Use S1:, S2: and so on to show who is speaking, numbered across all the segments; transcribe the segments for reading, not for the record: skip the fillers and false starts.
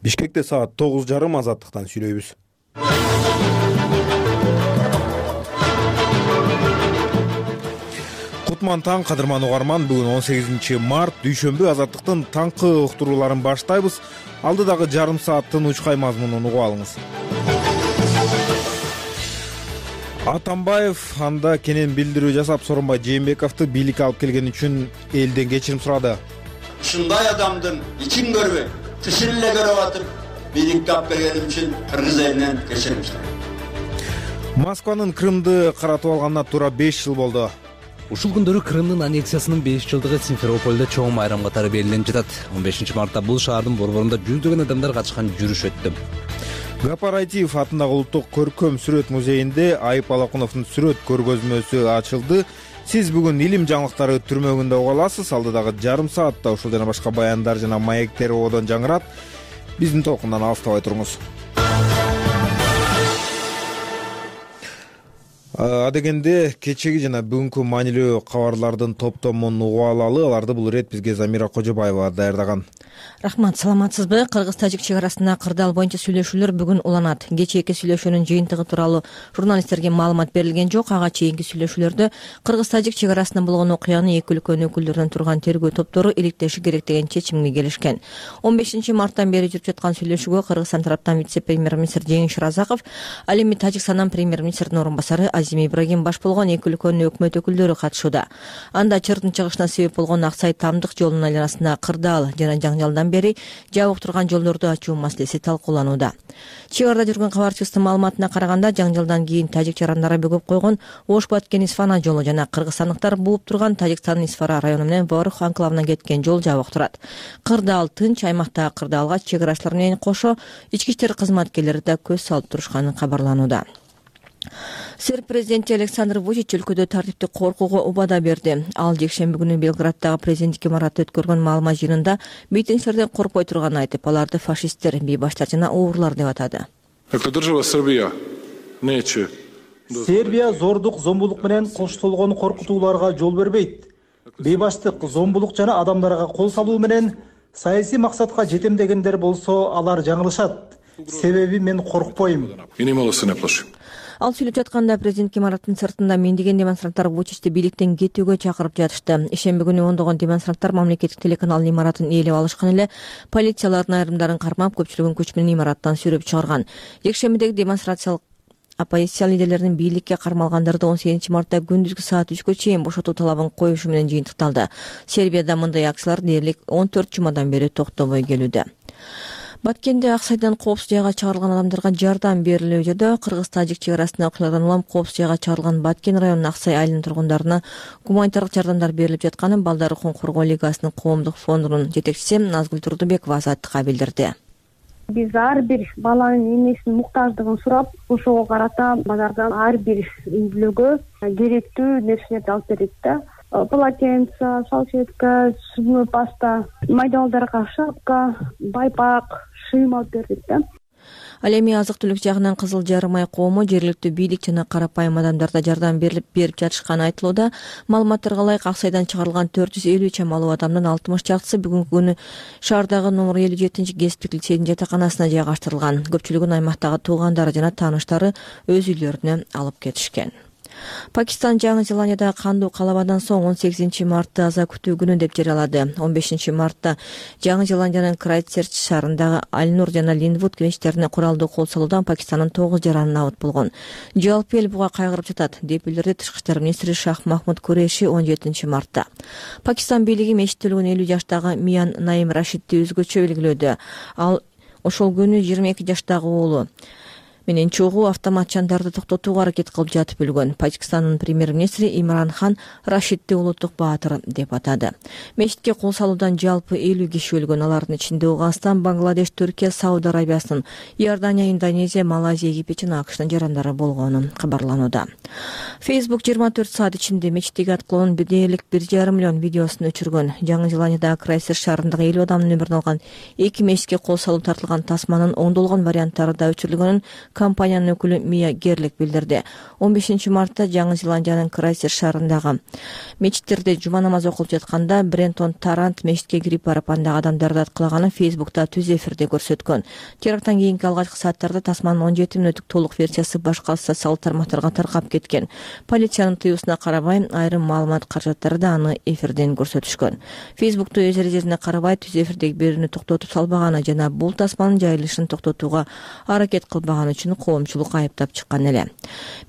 S1: Бишкекте саат 9:30 Азаттыктан сүйлөйбүз. Кутман таң, кадырман угарман. Бүгүн 18 март дүйшөмбү. Азаттыктын таңкы уктурууларын баштайбыз. Алдыдагы жарым саат тынучкай мазмунун угуп алыңыз. Атамбаев анда кенен билдирүү жасап, Сооронбай Жээнбековду бийликке алып келген үчүн элден кечирим сурады.
S2: Ушундай адамдын ичин көрбөй, тышын эле көрүп атып, бийликке алып келгеним үчүн кыргыз элинен кечирим сурайм.
S1: Москванын Крымды каратып алганына туура 5 жыл болду.
S3: Ушул күндөрү Крымдын аннексиясынын 5 жылдыгы Симферопольдо чоң майрам катары белгиленип жатат. 15 мартта бул шаардын борборунда жүздөгөн адамдар катышкан жүрүш өттү.
S1: Гапар Айтиев атындагы Улуттук көркөм сүрөт музейинде Айып Алакуновдун сүрөт көргөзмөсү ачылды. Сиз бүгүн илим жаңылыктары түрмөгүндө уга аласыз. Алдыдагы жарым саатта ушул жана башка баяндар жана маектер одон жаңырат. Биздин толкундан алыстабай туруңуз. Адегенде кечеги жана бүгүнкү маанилүү кабарлардын топтомун угуп алалы. Аларды бул ирет бизге Замира Кожобаева даярдаган.
S4: Рахмат, саламатсызбы? Кыргыз-тажик чек арасында кырдаал боюнча сүйлөшүүлөр бүгүн уланат. Кечээки сүйлөшүүнүн жыйынтыгы тууралуу журналисттерге маалымат берилген жок. Ага чейинки сүйлөшүүлөрдө кыргыз-тажик чек арасында болгон окуяны эки өлкөнүн өкүлдөрүнөн турган тергөө топтору иликтеши керек деген чечимге келишкен. 15 марттан бери жүрүп жаткан сүйлөшүүгө Кыргызстан тараптан вице-премьер-министр Жеңиш Разаков, ал эми Тажикстандан премьер-министрдин орун басары Азим Ибрагим баш болгон эки өлкөнүн өкмөт өкүлдөрү катышууда. Анда чырдын чыгышына себеп болгон Аксай-Тамдык жолунун айланасында кырдаал жана жаңжалдан бери жабык турган жолдорду ачуу маселеси талкууланууда. Чек арада жүргөн кабарчыбыздын маалыматына караганда, жаңжалдан кийин тажик жарандары бөгөп койгон Ош-Баткен-Исфана жолу жана кыргызстандыктар бууп турган Тажикстандын Исфара району менен Ворух анклавына кеткен жол жабык турат. Кырдаал тынч, аймактагы кырдаалга чек арачылар менен кошо ички иштер кызматкерлери да көз салып турушканы кабарланууда. Серб президенти Александр Вучич өлкөдө тартиптик коркууга убада берди. Ал жекшемби күнү Белграддагы президенттик имаратта өткөргөн маалымат жыйынында митингчилерден коркпой турганын айтып, аларды фашисттер, бейбаштар жана уурлар деп атады.
S5: Сербия зордук, зомбулук менен коштолгон коркутууларга жол бербейт. Бейбаштык, зомбулук жана адамдарга кол салуу менен саясий максатка жетем дегендер болсо, алар жаңылышат. Себеби мен коркпойм.
S4: Ал сүйлөп жатканда президенттик имараттын сыртында миңдеген демонстранттар Вучичти бийликтен кетүүгө чакырып жатышты. Ишемби күнү ондогон демонстранттар мамлекеттик телеканалдын имаратын ээлеп алышкан эле полициялардын айрымдарын кармап, көпчүлүгүн күч менен имараттан сүйрөп чыгарган. Жекшембидеги демонстрациялык оппозиция лидерлеринин бийликке кармалгандарды 18 мартта күндүзгү саат 3гө чейин бошотуу талабын коюшу менен жыйынтыкталды. Сербияда мындай акциялар дээрлик 14 жумадан бери токтобой келүүдө. Баткенде Аксайдан коопсуз жайга чыгарылган адамдарга жардам берилүүдө. Кыргыз-тажик чек арасында окуялардан улам коопсуз жайга чыгарылган Баткен районунун Аксай айылынын тургундарына гуманитардык жардамдар берилип жатканын Балдар укугун коргоо лигасынын коомдук фондунун жетекчиси Назгүл Турдубекова Азаттыкка билдирди.
S6: Биз ар бир баланын эмесинин муктаждыгын сурап, ошого карата базардан ар бир үй бүлөгө керектүү нерселерди алып берет да. Полотенце, салфетка, зубной паста, майдалдарга шапка, байпак, шыйым алып бердик да.
S4: Ал эми азык-түлүк жагынан Кызыл Жарым ай коому жергиликтүү бийлик жана карапайым адамдарда жардам берип жатышканы айтылууда. Маалыматтарга ылайык, Аксайдан чыгарылган 450 чамалуу адамдын 60 чактысы бүгүнкү күнү шаардагы номер 57 кесиптик лицейдин жатаканасына жайгаштырылган. Көпчүлүгүн аймактагы туугандары жана тааныштары өз үйлөрүнө алып кетишкен. Пакистан Жаңы Зеландияда кандуу калабадан соң 18 мартты аза күтүү күнү деп жарыялады. 15 мартта Жаңы Зеландиянын Крайстчерч шаарындагы Аль-Нур жана Линдвуд мечиттерине куралдуу кол салуудан Пакистандын 9 жараны набыт болгон. Жалпы эл буга кайгырып жатат, деп билдирди Тышкы иштер министри Шах Махмуд Куреши 17 мартта. Пакистан бийлиги мечитте өлгөн 50 жаштагы Миян Наим Рашидди өзгөчө белгилөөдө. Ал ошол күнү 22 жаштагы уулу менен чогуу автоматчандарды токтотууга аракет кылып жатып өлгөн. Пакистандын премьер-министри Имран Хан Рашидди улуттук баатыр деп атады. Мечитке кол салуудан жалпы 50 киши өлгөн. Алардын ичинде Ауганстан, Бангладеш, Түркия, Сауд Арабиясынын, Иордания, Индонезия, Малайзия, Египет жана АКШтын жарандары болгону кабарланууда. Facebook 24 саат ичинде мечиттеги аткылоонун дээрлик 1,5 миллион видеосун өчүргөн. Жаңы Зеландиядагы Крайстчерч шаарындагы 50 адамдын өмүрүн алган 2 мечитке кол салуу тартылган тасманын оңдолгон варианттары да өчүрүлгөнүн компаниянын өкүлү Мия Герлик билдирди. 15 мартта Жаңы Зеландиянын Крайстчерч шаарындагы мечиттерде жума намазы окулуп жатканда Брентон Тарант мечитке кирип барып андагы адамдарды аткылаганын Фейсбукта түз эфирде көрсөткөн. Теракттан кийинки алгачкы сааттарда тасманын 17 мүнөттүк толук версиясы башка социалдык тармактарга таркап кеткен. Полициянын тыюусуна карабай айрым маалымат каражаттары да аны эфирден көрсөтүшкөн. Фейсбукту өз эрежесине карабай түз эфирдеги берүүнү токтотуп салбаганы жана бул тасманын жайылышын токтотууга аракет кылбаганы үчүн коомчулук айыптап чыккан эле.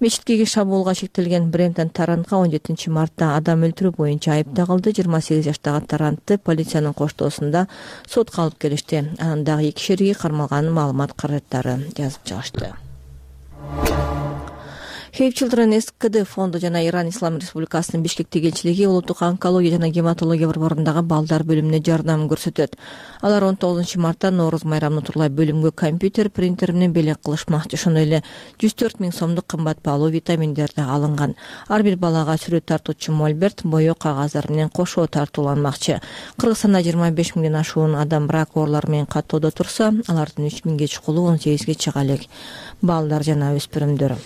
S4: Мечиткеги шабуулга шектелген Брентон Тарантка 17 мартта адам өлтүрүү боюнча айып тагылды. 28 жаштагы Тарантты полициянын коштоосунда сотко алып келишти. Анын дагы 2 шериги кармалган маалымат каражаттары жазып чыгышты. Save Children СКД фонду жана Иран Ислам Республикасынын Бишкектеги элчилиги улуттук онкология жана гематология борборундагы балдар бөлүмүнө жардам көрсөтөт. Алар 19 мартта Нооруз майрамын утурлай бөлүмгө компьютер, принтер менен белек кылышмакчы. Ошондой эле 104 000 сомдук кымбат баалуу витаминдер да алынган. Ар бир балага сүрөт тартуучу мольберт, боек кагаздар менен кошо тартууланмакчы. Кыргызстанда 25 000ден ашуун адам брак оорулары менен каттоодо турса, алардын 3 000ге чукулу 18ге чыга элек балдар жана өспүрүмдөр.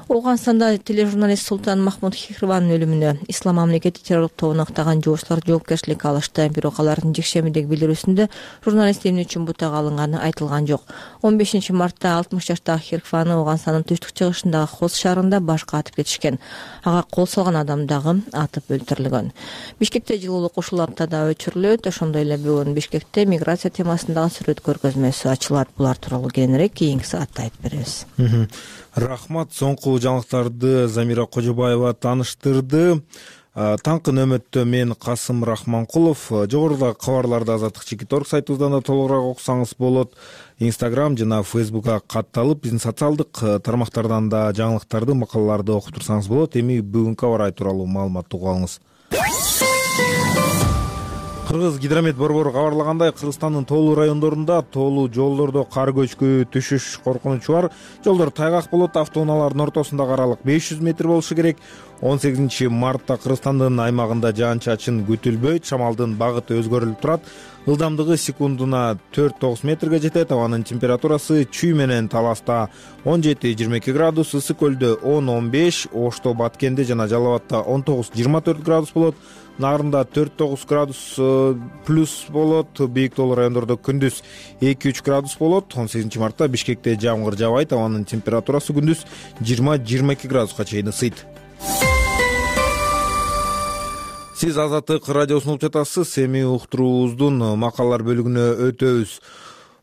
S4: Ауганстанда тележурналист Султан Махмуд Хихрванын өлүмүнө Ислам мамлекети террорлук тобуна ыктаган жоочулар жоопкерчилик алышты. Бирок алардын жекшембидеги билдирүүсүндө журналист эмне үчүн бутага алынганы айтылган жок. 15 мартта 60 жаштагы Хихрваны Ауганстандын түштүк чыгышындагы Хос шаарында башка атып кетишкен. Ага кол салган адам дагы атып өлтүрүлгөн. Бишкекте жылуулук ушул аптада өчүрүлөт. Ошондой эле бүгүн Бишкекте миграция темасындагы сүрөт көргөзмөсү ачылат. Булар тууралуу кийинирээк кийинки саатта айтып беребиз.
S1: Рахмат. Соңку жаңылыктарды Замира Кожобаева тааныштырды. Таңкы нөмөттө мен Касым Рахманкулов. Жогорудагы кабарларды Азаттык Чекит.org сайтыбыздан да толугураак окусаңыз болот. Instagram жана Facebook'ка катталып, биздин социалдык тармактардан да жаңылыктарды, макалаларды окуп турсаңыз болот. Эми бүгүнкү аба ырайы тууралуу маалыматты угуп алыңыз. Кыргыз гидромет борбору кабарлагандай, Кыргызстандын тоолуу райондорунда тоолуу жолдордо кар көчкү түшүш коркунучу бар. Жолдор тайгак болот, автоунаалардын ортосундагы аралык 500 метр болушу керек. 18 мартта Кыргызстандын аймагында жаан-чачын күтүлбөйт, шамалдын багыты өзгөрүлүп турат. Ылдамдыгы секундуна 4-9 метрге жетет. Абанын температурасы Чүй менен Таласта 17-22 градус, Ысык көлдө 10-15, Ошто, Баткенде жана Жалал Абадта 19-24 градус болот. Нарында 4-9 градус плюс болот. Бийик тоолуу райондордо күндүз 2-3 градус болот. 18 мартта Бишкекте жамгыр жаабайт. Абанын температурасы күндүз 20-22 градуска чейин ысыйт. Сиз Азаттык радиосун угуп жатасыз. Эми уктуруубуздун макалалар бөлүгүнө өтөбүз.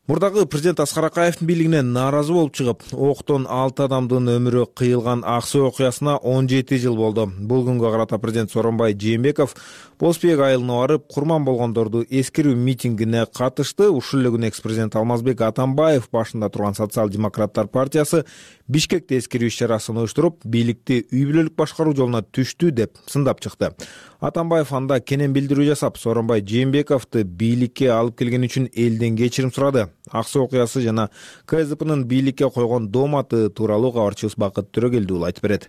S1: Мурдагы президент Аскар Акаевдин бийлигине нааразы болуп чыгып, октон 6 адамдын өмүрү кыйылган Ак Суу окуясына 17 жыл болду. Бул күнгө карата президент Сооронбай Жээнбеков Бозбек айылына барып, курман болгондорду эскерүү митингине катышты. Ушул эле күнү экс-президент Алмазбек Атамбаев башында турган Социал-демократтар партиясы Бишкекте эскерүү иш-чарасын уюштуруп, бийликти үй бүлөлүк башкаруу жолуна түштү деп сындап чыкты. Атамбаев анда кенен билдирүү жасап, Сооронбай Жээнбековду бийликке алып келген үчүн элден кечирим сурады. Ак Суу окуясы жана КСДПнын бийликке койгон дооматы тууралуу кабарчыбыз Бакыт Төрөгелдиұлы айтып берет.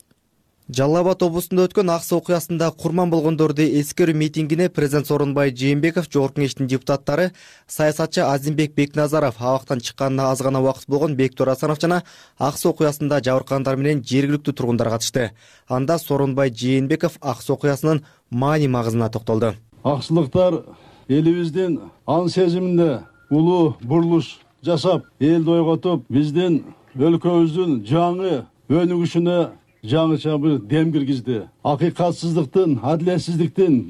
S7: Жалал Абад облусунда өткөн Ак Суу окуясында курман болгондорду эскерүү митингине президент Сооронбай Жээнбеков, Жогорку Кеңештин депутаттары, саясатчы Азимбек Бекназаров, абактан чыкканына аз гана убакыт болгон Бектур Асанов жана Ак Суу окуясында жабыркагандар менен жергиликтүү тургундар катышты. Анда Сооронбай Жээнбеков Ак Суу окуясынын маани магызына токтолду.
S8: Аксылыктар элибиздин ан сезиминде улуу бурулуш жасап, элди ойготуп, биздин өлкөбүздүн жаңы өнүгүшүнө жаңыча бир дем киргизди. Акыйкатсыздыктын, адилетсиздиктин,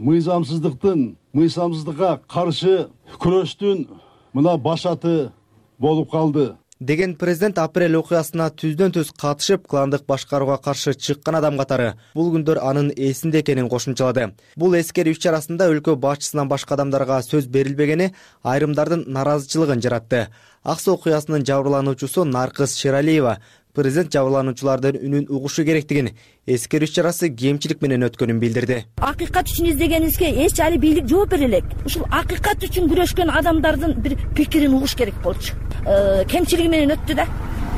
S8: мыйзамсыздыкка каршы күрөштүн мына башаты болуп калды
S7: деген президент апрель окуясына түздөн түз катышып, кландык башкарууга каршы чыккан адам катары бул күндөр анын эсинде экенин кошумчалады. Бул эскерүү иш-чарасында өлкө башчысынан башка адамдарга сөз берилбегени айрымдардын наразычылыгын жаратты. Ак Суу окуясынын жабырлануучусу Наркыз Шералиева президент жабырлануучулардын үнүн угушу керектигин, эскерүү иш-чарасы кемчилик менен өткөнүн билдирди.
S9: Акыйкат үчүн издегенибизге эч али бийлик жооп бере элек. Ушул акыйкат үчүн күрөшкөн адамдардын бир пикирин угуш керек болчу. Кемчилиги менен өттү да.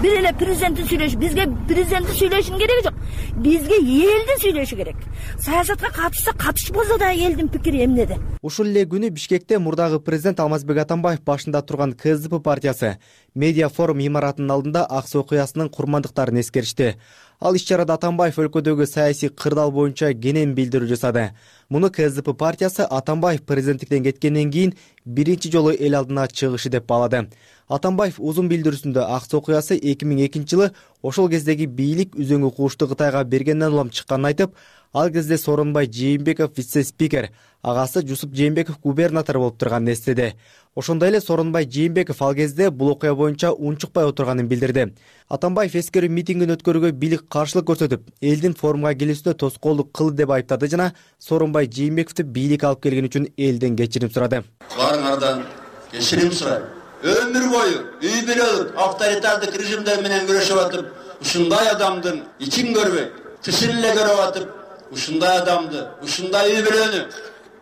S9: Бир эле президенттин бизге президенттин сүйлөшүнүн кереги жок. Бизге элдин сүйлөшү керек. Саясатка катышса катышпаса да элдин пикири эмнеде?
S7: Ушул эле күнү Бишкекте мурдагы президент Алмазбек Атамбаев башында турган КСДП партиясы медиа форум имаратынын алдында ак суу окуясынын курмандыктарын эскеришти. Ал иш-чарада Атамбаев өлкөдөгү саясий кырдаал боюнча кенен билдирүү жасады. Муну КСДП партиясы Атамбаев президенттиктен кеткенден кийин биринчи жолу эл алдына чыгышы деп баалады. Атамбаев узун билдирүүсүндө ак суу окуясы 2002 жылы ошол кездеги бийлик үзөңгү куушту Кытайга бергенден улам чыкканын айтып, ал кезде Сооронбай Жээнбеков вице-спикер, агасы Жусуп Жээнбеков губернатор болуп турганын эстеди. Ошондой эле Сооронбай Жээнбеков ал кезде бул окуя боюнча унчукпай отурганын билдирди. Атамбаев эскерүү митингин өткөрүүгө бийлик каршылык көрсөтүп, элдин форумга келүүсүнө тоскоолдук кылды деп айыптады жана Сооронбай Жээнбековду бийлик алып келген үчүн элден кечирим сурады.
S2: Баарыңардан кечирим сурайм. Өмүр бою үй бүлөлүк авторитардык режимдер менен күрөшүп атып, ушундай адамдын ичин көрбөй, тышын эле көрүп атып, ушундай адамды, ушундай үй бүлөнү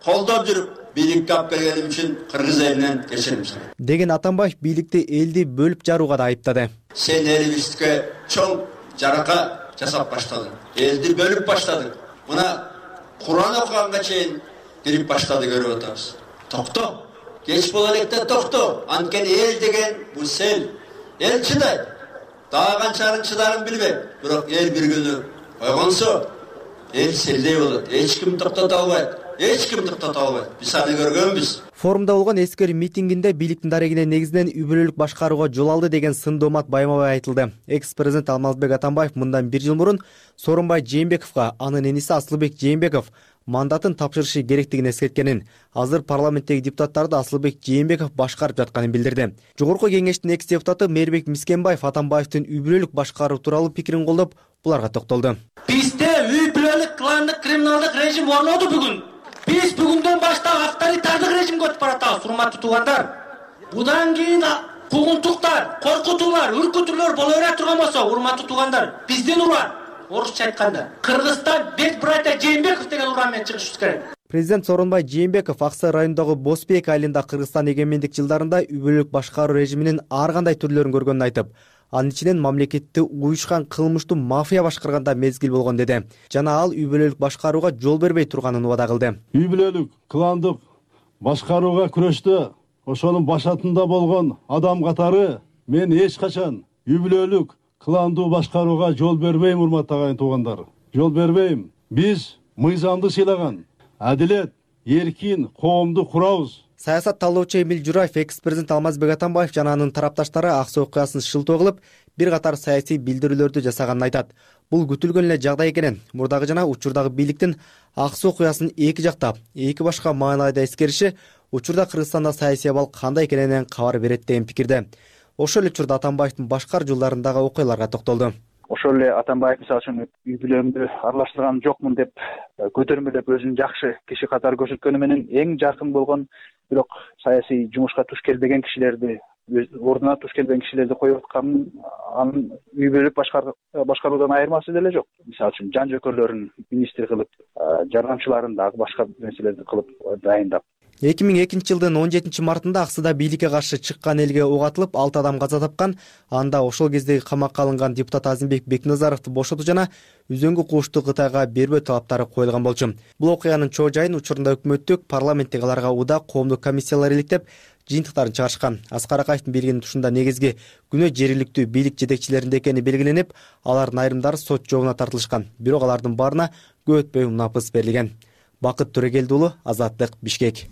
S2: колдоп жүрүп, бийликке алып келгеним үчүн кыргыз элинен кечирим сурайм
S7: деген Атамбаев бийликти элди бөлүп жарууга да айыптады.
S2: Сен элибизге чоң жарака жасап баштадың, элди бөлүп баштадың. Мына Куран окуганга чейин кирип баштады, көрүп атабыз. Токто. Geç bol elekte toktu. Anken el degen bu sel. El çıday. Dağan çarın çıdarın bilbek. Bırak el bir günü koygonsa el seldey olur. Hiç kim toktata albaydı. Hiç kim toktata albaydı. Biz sani görgönbüz.
S7: Форумда болгон эскерүү митингинде бийликтин дарегине негизинен үй бүлөлүк башкарууга жол алды деген сын доомат байма-бай айтылды. Экс-президент Алмазбек Атамбаев мындан 1 жыл мурун Сооронбай Жээнбековго анын эниси Асылбек Жээнбеков мандатын тапшырышы керектигин эскерткенин, азыр парламенттеги депутаттарды Асылбек Жээнбеков башкарып жатканын билдирди. Жогорку кеңештин экс-депутаты Мээрбек Мискенбаев Атамбаевдин үй бүлөлүк башкаруу тууралуу пикирин колдоп, буларга токтолду.
S10: Бизде үй бүлөлүк кландык криминалдык режим орноду бүгүн. Биз бүгүндөн баштап авторитардык режимге өтүп баратабыз, урматтуу туугандар. Будан кийин куугунтуктар, коркутуулар, үркүтүүлөр боло бере турган болсо, урматтуу туугандар, биздин уран, орусча айтканда, Кыргызстан бет братья Жээнбеков деген уран менен чыгышыбыз керек.
S7: Президент Сооронбай Жээнбеков Аксай районундагы Босбек айылында Кыргызстан эгемендик жылдарында үй бүлөлүк башкаруу режиминин ар кандай түрлөрүн көргөнүн айтып, анын ичинен мамлекетти уюшкан кылмыштуу мафия башкарганда мезгил болгон деди. Жана ал үй бүлөлүк башкарууга жол бербей турганын убада кылды.
S8: Үй бүлөлүк кландык башкарууга күрөштө ошонун башатында болгон адам катары мен эч качан үй бүлөлүк кландуу башкарууга жол бербейм, урматтуу агайын туугандар. Жол бербейм. Биз мыйзамды сыйлаган, адилет, эркин коомду курабыз.
S7: Саясат талоочу Эмил Жураев экс-президент Алмазбек Атамбаев жана анын тарапташтары ак суу окуясын шылтоо кылып, бир катар саясий билдирүүлөрдү жасаганын айтат. Бул күтүлгөн эле жагдай экенин, мурдагы жана учурдагы бийликтин ак суу окуясын эки жактап, эки башка маанайда эскериши учурда Кыргызстанда саясий абал кандай экенинен кабар берет деген пикирде. Ошол эле учурда Атамбаевдин башкар жылдарындагы окуяларга токтолду.
S11: Ошол эле Атамбаев мисалы үчүн үй бүлөмдү аралаштырган жокмун деп көтөрмөлөп өзүн жакшы киши катары көрсөткөнү менен эң жакын болгон бирок саясий жумушка туш келбеген кишилерди, ордуна туш келбеген кишилерди коюп атканын анын үй бүлөлүк башкаруудан айырмасы деле жок. Мисалы үчүн жан жөкөрлөрүн министр кылып, жардамчыларын дагы башка нерселерди кылып дайындап.
S7: 2002 жылдын 17 мартында Аксыда бийликке каршы чыккан элге ок атылып 6 адам каза тапкан. Анда ошол кездеги камакка алынган депутат Азимбек Бекназаровду бошотуу жана үзөңгү куушту Кытайга бербөө талаптары коюлган болчу. Бул окуянын чоо жайын учурунда өкмөттүк, парламенттик аларга уда коомдук комиссиялар иликтеп, жыйынтыктарын чыгарышкан. Аскар Акаевдин билгинин тушунда негизги күнөө жергиликтүү бийлик жетекчилеринде экени белгиленип, алардын айрымдары сот жообуна тартылышкан. Бирок алардын баарына көп өтпөй унапыс берилген. Бакыт Төрөгелди уулу, Азаттык, Бишкек.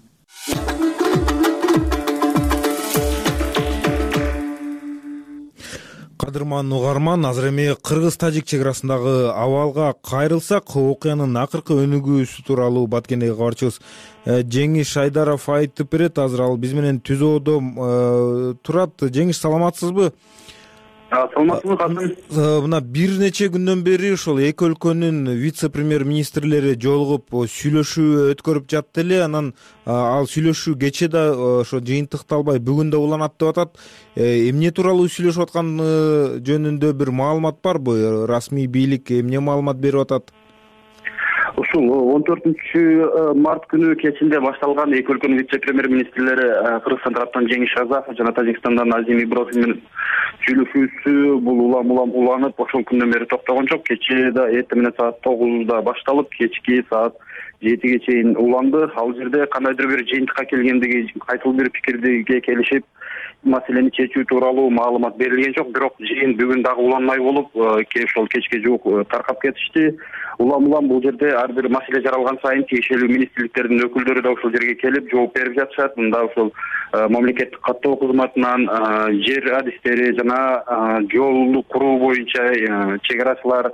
S1: Кадырман угарман, азыр эми Кыргыз-Тажик чек арасындагы абалга кайрылсак, окуянын акыркы өнүгүүсү тууралуу Баткендеги кабарчыбыз Жеңиш Айдаров айтып берет. Азыр ал биз менен түзөөдө турат. Жеңиш, саламатсызбы?
S12: Саламатсызбы, Касым?
S1: Мына бир нече күндөн бери ошол эки өлкөнүн вице-премьер-министрлери жолугуп сүйлөшүү өткөрүп жатты эле. Анан ал сүйлөшүү кечээ да ошо жыйынтыкталбай бүгүн да уланат деп атат. Эмне тууралуу сүйлөшүп атканы жөнүндө бир маалымат барбы? Расмий бийлик эмне маалымат берип атат?
S12: Ушул 14 март күнү кечинде башталган эки өлкөнүн вице-премьер министрлери Кыргызстан тараптан Жеңиш Казаков жана Тажикстандан Азим Иброхим менен сүйлөшүүсү бул улам уланып ошол күндөн бери токтогон жок. Кечээ да эртең менен саат 9:da башталып, кечки саат 7-ге чейин уланды. Ал жерде кандайдыр бир жыйынтыкка келгендиги, кайталуу бир пикирге келишип, маселени чечүү тууралуу маалымат берилген жок. Бирок жыйын бүгүн дагы уланмай болуп, ошол кечке жуук таркап кетишти. Улам бул жерде ар бир маселе жаралган сайын тиешелүү министрликтердин өкүлдөрү да ошол жерге келип жооп берип жатышат. Мында ошол мамлекеттик каттоо кызматынан жер адистери жана жолду куруу боюнча чек-арачылар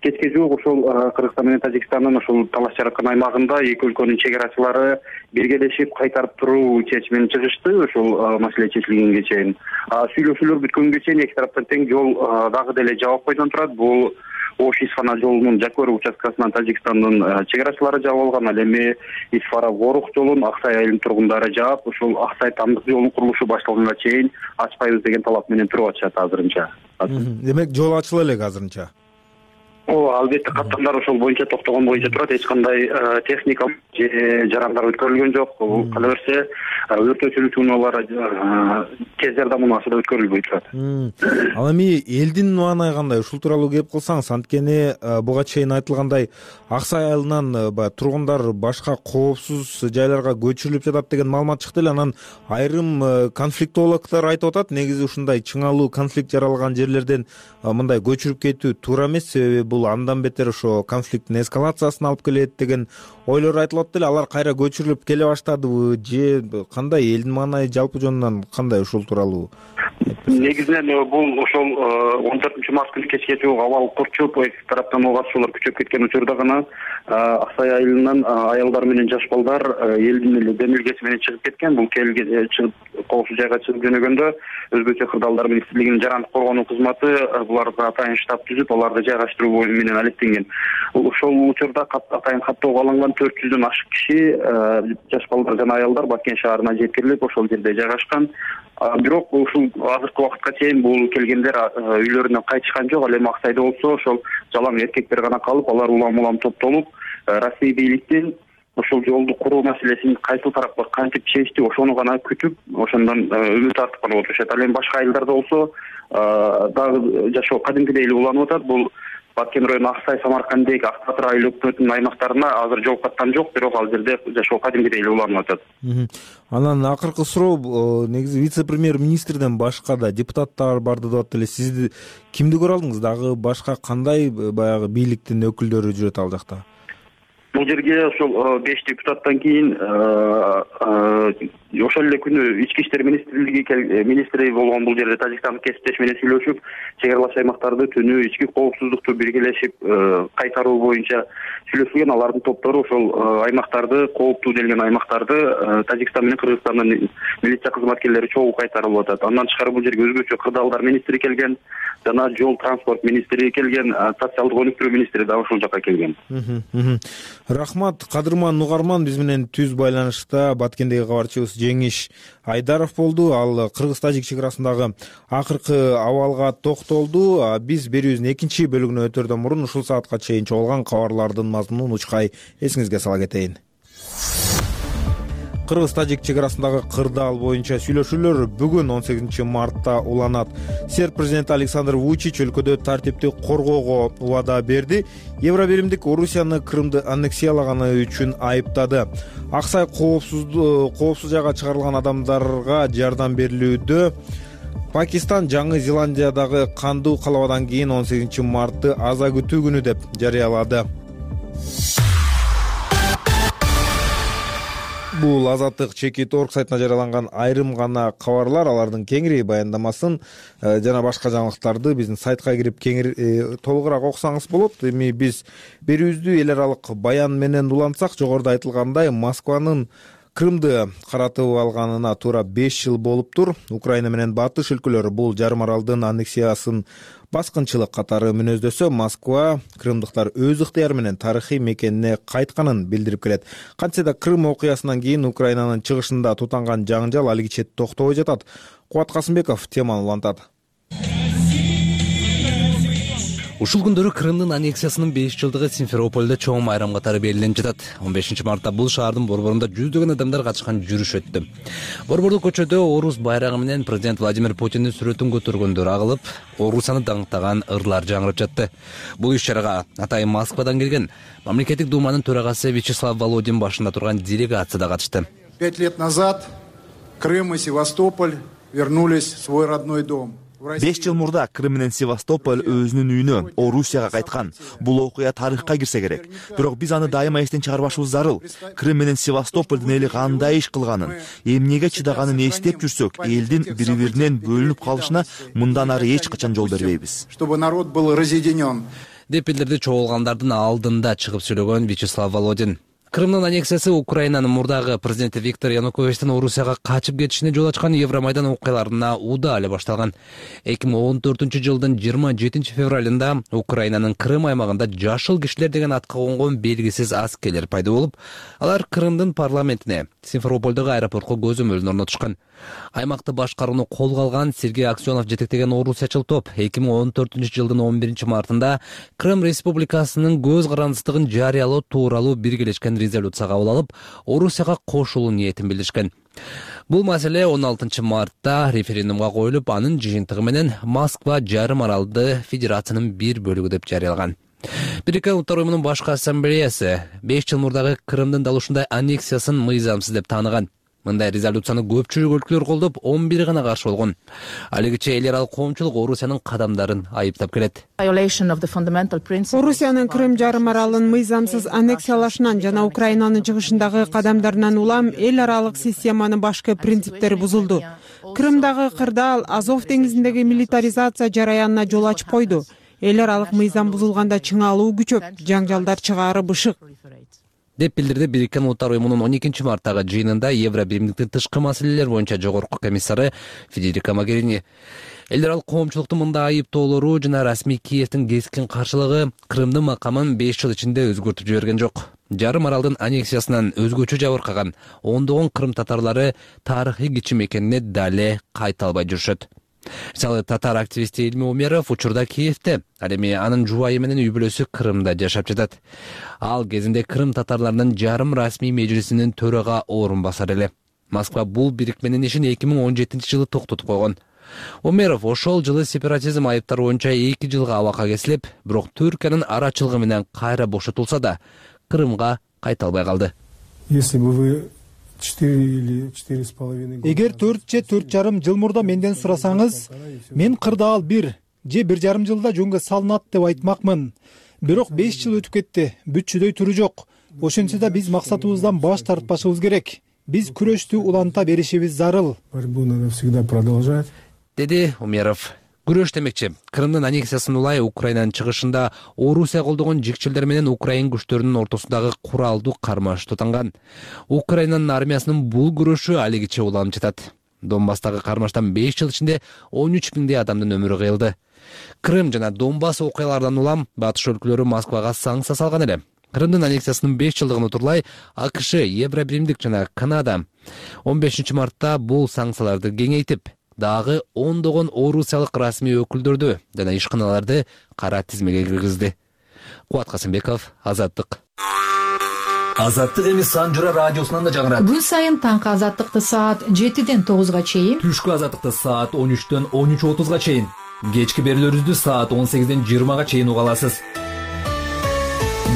S12: кечке жуук ошол Кыргызстан менен Тажикстандын ошол талаш жараткан аймагында эки өлкөнүн чек-арачылары биргелешип кайтарып туруу чечимине чыгышты. Ошол маселе чечилгенге чейин сүйлөшүүлөр бүткөнгө чейин эки тараптан тең жол дагы деле жабык бойдон турат. Бул Ош-Исфана жолунун Жакөров участкасынан Тажикстандын чек-арачылары жаап алган. Ал эми Исфара-Ворух жолун Аксай айылынын тургундары жаап, ошол Аксай-Тамдык жолунун курулушу башталганга чейин ачпайбыз деген талап менен туруп атышат азырынча.
S1: Демек жол ачыла элек азырынча.
S12: Албетте каттамдар ошол боюнча токтогон боюнча турат. Эч кандай техника же жарандар өткөрүлгөн жок. Кала берсе өрт өчүрүү чуйналары тез жардам унаасында өткөрүлбөй турат.
S1: Ал эми элдин маанай кандай? Ушул тууралуу кеп кылсаңыз, анткени буга чейин айтылгандай Аксай айылынан тургундар башка коопсуз жайларга көчүрүлүп жатат деген маалымат чыкты эле. Анан айрым конфликтологдор айтып атат, негизи ушундай чыңалуу конфликт жаралган жерлерден мындай көчүрүп кетүү туура эмес, себеби бул андан бетер ошо конфликттин эскалациясына алып келет деген ойлор айтылып атты эле. Алар кайра көчүрүлүп келе баштадыбы же кандай? Элдин маанай жалпы жөнүнөн кандай ушул тууралуу?
S12: Негизинен бул ошол 14 март күнү кечке жуук абал курчуп, эки тараптан ок атышуулар күчөп кеткен учурда гана Аксай айылынан аялдар менен жаш балдар элдин эле демилгеси менен чыгып кеткен. Бул коопсуз жайга чыгып жөнөгөндө өзбекче кырдаалдар министрлигинин жарандык коргонуу кызматы буларга атайын штаб түзүп, аларды жайгаштыруу менен алектенген. Ошол учурда атайын каттоого алынган 400дөн ашык киши жаш балдар жана аялдар Баткен шаарына жеткирилип, ошол жерде жайгашкан. Бирок ушул азыркы убакытка чейин бул келгендер үйлөрүнөн кайтышкан жок. Ал эми Аксайда болсо ошол жалаң эркектер гана калып, алар улам топтолуп, Россия бийликтин ошол жолду куруу маселесин кайсыл тарапка кантип чечти, ошону гана күтүп, ошондон үмүт артып калып отурушат. Ал эми башка айылдарда болсо дагы жашоо кадимкидей эле уланып атат. Бул Баткен району Аксай, Самаркандек, Ак Батыр айыл өкмөтүнүн аймактарына азыр жол каттан жок, бирок ал жерде жашоо кадимкидей эле уланып атат.
S1: Анан акыркы суроо, негизи вице-премьер министрден башка да депутаттар барды деп атты эле. Сиз кимди көрө алдыңыз? Дагы башка кандай баягы бийликтин өкүлдөрү жүрөт ал жакта?
S12: Бул жерге ошол 5 депутаттан кийин ошол эле күнү ички иштер министри болгон бул жерде Тажикстандык кесиптеш менен сүйлөшүп, чек аралаш аймактарды түнөө ички коопсуздукту биргелешип кайтаруу боюнча сүйлөшүлгөн. Алардын топтору ошол аймактарды, кооптуу делген аймактарды Тажикстан менен Кыргызстандын милиция кызматкерлери чогуу кайтарып атат. Андан тышкары бул жерге өзбекчө кырдаалдар министри келген, жана жол транспорт министри келген, социалдык өнүктүрүү министри да ошол жака келген.
S1: Рахмат. Кадырман угарман биз менен түз байланышта Баткендеги кабарчыбыз Жеңиш Айдаров болду. Ал Кыргыз-Тажик чек арасындагы акыркы абалга токтолду. Биз берүүбүздүн экинчи бөлүгүнө өтөрдөн мурун ушул саатка чейин чогулган кабарлардын мазмунун учкай эсиңизге сала кетейин. Кыргыз-Тажик чек арасындагы кырдаал боюнча сүйлөшүүлөр бүгүн 18 мартта уланат. Серб президенти Александр Вучич өлкөдө тартипти коргоого убада берди. Евробиримдик Орусияны Крымды аннексиялаганы үчүн айыптады. Аксай коопсуз жайга чыгарылган адамдарга жардам берилүүдө Пакистан Жаңы Зеландиядагы кандуу калабадан кийин 18 мартты аза күтүү күнү деп жарыялады. Бул Азаттык Чекит.org сайтына жарыяланган айрым гана кабарлар. Алардын кеңири баяндамасын жана башка жаңылыктарды биздин сайтка кирип толугураак окусаңыз болот. Эми биз берүүбүздү эл аралык баян менен улантсак, жогоруда айтылгандай Москванын Крымды каратып алганына туура 5 жыл болуптур. Украина менен батыш өлкөлөрү бул жарым аралдын аннексиясын баскынчылык катары мүнөздөсө, Москва крымдыктар өз ыктыяры менен тарыхый мекенине кайтканын билдирип келет. Кантсе да Крым окуясынан кийин Украинанын чыгышында тутанган жаңжал алигиче токтобой жатат. Кубат Касымбеков теманы улантат.
S3: Ушул күндөрү Крымдын аннексиясынын 5 жылдыгы Симферопольдо чоң майрам катары белгиленип жатат. 15 мартта бул шаардын борборунда жүздөгөн адамдар катышкан жүрүш өттү. Борбордук көчөдө Орус байрагы менен президент Владимир Путиндин сүрөтүн көтөргөндөр агылып, Орусияны даңктаган ырлар жаңырып жатты. Бул иш-чарага атайын Москвадан келген мамлекеттик думанын төрагасы Вячеслав Володин башында турган делегация да катышты.
S13: 5 лет назад Крым и Севастополь вернулись в свой родной дом.
S14: 5 жыл мурда Крым менен Севастополь өзүнүн үйүнө, Орусияга кайткан. Бул окуя тарыхка кирсе керек. Бирок биз аны дайыма эстен чыгарбашыбыз зарыл. Крым менен Севастополдун эли кандай иш кылганын, эмнеге чыдаганын эстеп жүрсөк, элдин бири-биринен бөлүнүп калышына мындан ары эч качан жол бербейбиз.
S13: Чтобы народ был разъединен.
S3: Деп билдирди чогулгандардын алдында чыгып сүйлөгөн Вячеслав Володин. Крымдын аннексиясы Украинанын мурдагы президенти Виктор Януковичтин Орусияга качып кетишине жол ачкан Евромайдан окуяларына уда эле башталган. 2014-жылдын 27 февралында Украинанын Крым аймагында жашыл кишилер деген атка конгон белгисиз аскерлер пайда болуп, алар Крымдын парламентине, Симферопольдогу аэропортко көзөмөлүн орнотушкан. Аймакты башкарууну колго алган Сергей Аксенов жетектеген орусячыл топ 2014-жылдын 11 мартында Крым Республикасынын көз карандысыздыгын жарыялоо тууралуу биргелешкен резолюция кабыл алып, Орусияга кошулуу ниетин билдиришкен. Бул маселе 16 мартта референдумга коюлуп, анын жыйынтыгы менен Москва жарым аралды федерациянын бир бөлүгү деп жарыялаган. Бириккен Улуттар Уюмунун башкы ассамблеясы 5 жыл мурдагы Крымдын дал ушундай аннексиясын мыйзамсыз деп тааныган. Мындай резолюцияны көпчүлүк өлкөлөр колдоп, 11 гана каршы болгон. Алигиче эл аралык коомчулук Орусиянын кадамдарын айыптап келет.
S15: Орусиянын Крым жарым аралын мыйзамсыз аннексиялашынан жана Украинанын чыгышындагы кадамдарынан улам эл аралык системанын башкы принциптери бузулду. Крымдагы кырдаал Азов деңизиндеги милитаризация жараянына жол ачып койду. Эл аралык мыйзам бузулганда чыңалуу күчөп, жаңжалдар чыгаары бышык.
S3: Деп билдирди Бириккен Улуттар Уюмунун 12 марттагы жыйынында Евробиримдиктин тышкы маселелер боюнча жогорку комиссары Федерика Могерини. Эл аралык коомчулуктун мындай айыптоолору жана расмий Киевдин кескин каршылыгы Крымдын макамын 5 жыл ичинде өзгөртүп жиберген жок. Жарым аралдын аннексиясынан өзгөчө жабыркаган ондогон крым татарлары тарыхый кичим экенине дале кайта албай жүрүшөт. Мисалы татар активисти Илми Умеров учурда Киевде, ал эми анын жубайы менен үй бүлөсү Крымда жашап жатат. Ал кезинде Крым татарларынын жарым расмий межлисинин төрага орун басар эле. Москва бул бирикменин ишин 2017-жылы токтотуп койгон. Умеров ошол жылы сепаратизм айыптары боюнча 2 жылга абакка кесилип, бирок Түркиянын арачылыгы менен кайра бошотулса да, Крымга кайта албай калды.
S16: Если бы вы 4 или 4,5
S5: Эгер 4 же 4,5 жыл мурда менден сурасаңыз, мен кырдаал 1 же 1,5 жылда жөнгө салынат деп айтмакмын. Бирок 5 жыл өтүп кетти, бүтчүдөй туру жок. Ошентсе да биз максатыбыздан баш тартпашыбыз керек. Биз күрөштү уланта беришибиз зарыл.
S16: Борьбу надо всегда продолжать.
S3: Деди Умеров. Күрөш демекчи, Крымдын аннексиясын улай Украинанын чыгышында Орусия колдогон жикчилер менен Украин күчтөрүнүн ортосундагы куралдуу кармаш тутанган. Украинанын армиясынын бул күрөшү алигиче уланып жатат. Донбасстагы кармаштан 5 жыл ичинде 13 миңдей адамдын өмүрү кыйылды. Крым жана Донбасс окуяларынан улам батыш өлкөлөрү Москвага санкция салган эле. Крымдын аннексиясынын 5 жылдыгын утурлай АКШ, Евробиримдик жана Канада 15 мартта бул санкцияларды кеңейтип, дагы ондогон орусиялык расмий өкүлдөрдү жана ишканаларды кара тизмеге киргизди. Кубат Касымбеков, Азаттык.
S17: Азаттык эми Санжыра радиосунан да жаңырат.
S18: Күн сайын таңкы Азаттыкты саат 7-ден 9-га чейин,
S17: түшкү Азаттыкты саат 13-төн 13:30-га чейин, кечки берүүлөрүбүздү саат 18-ден 20-га чейин уга аласыз.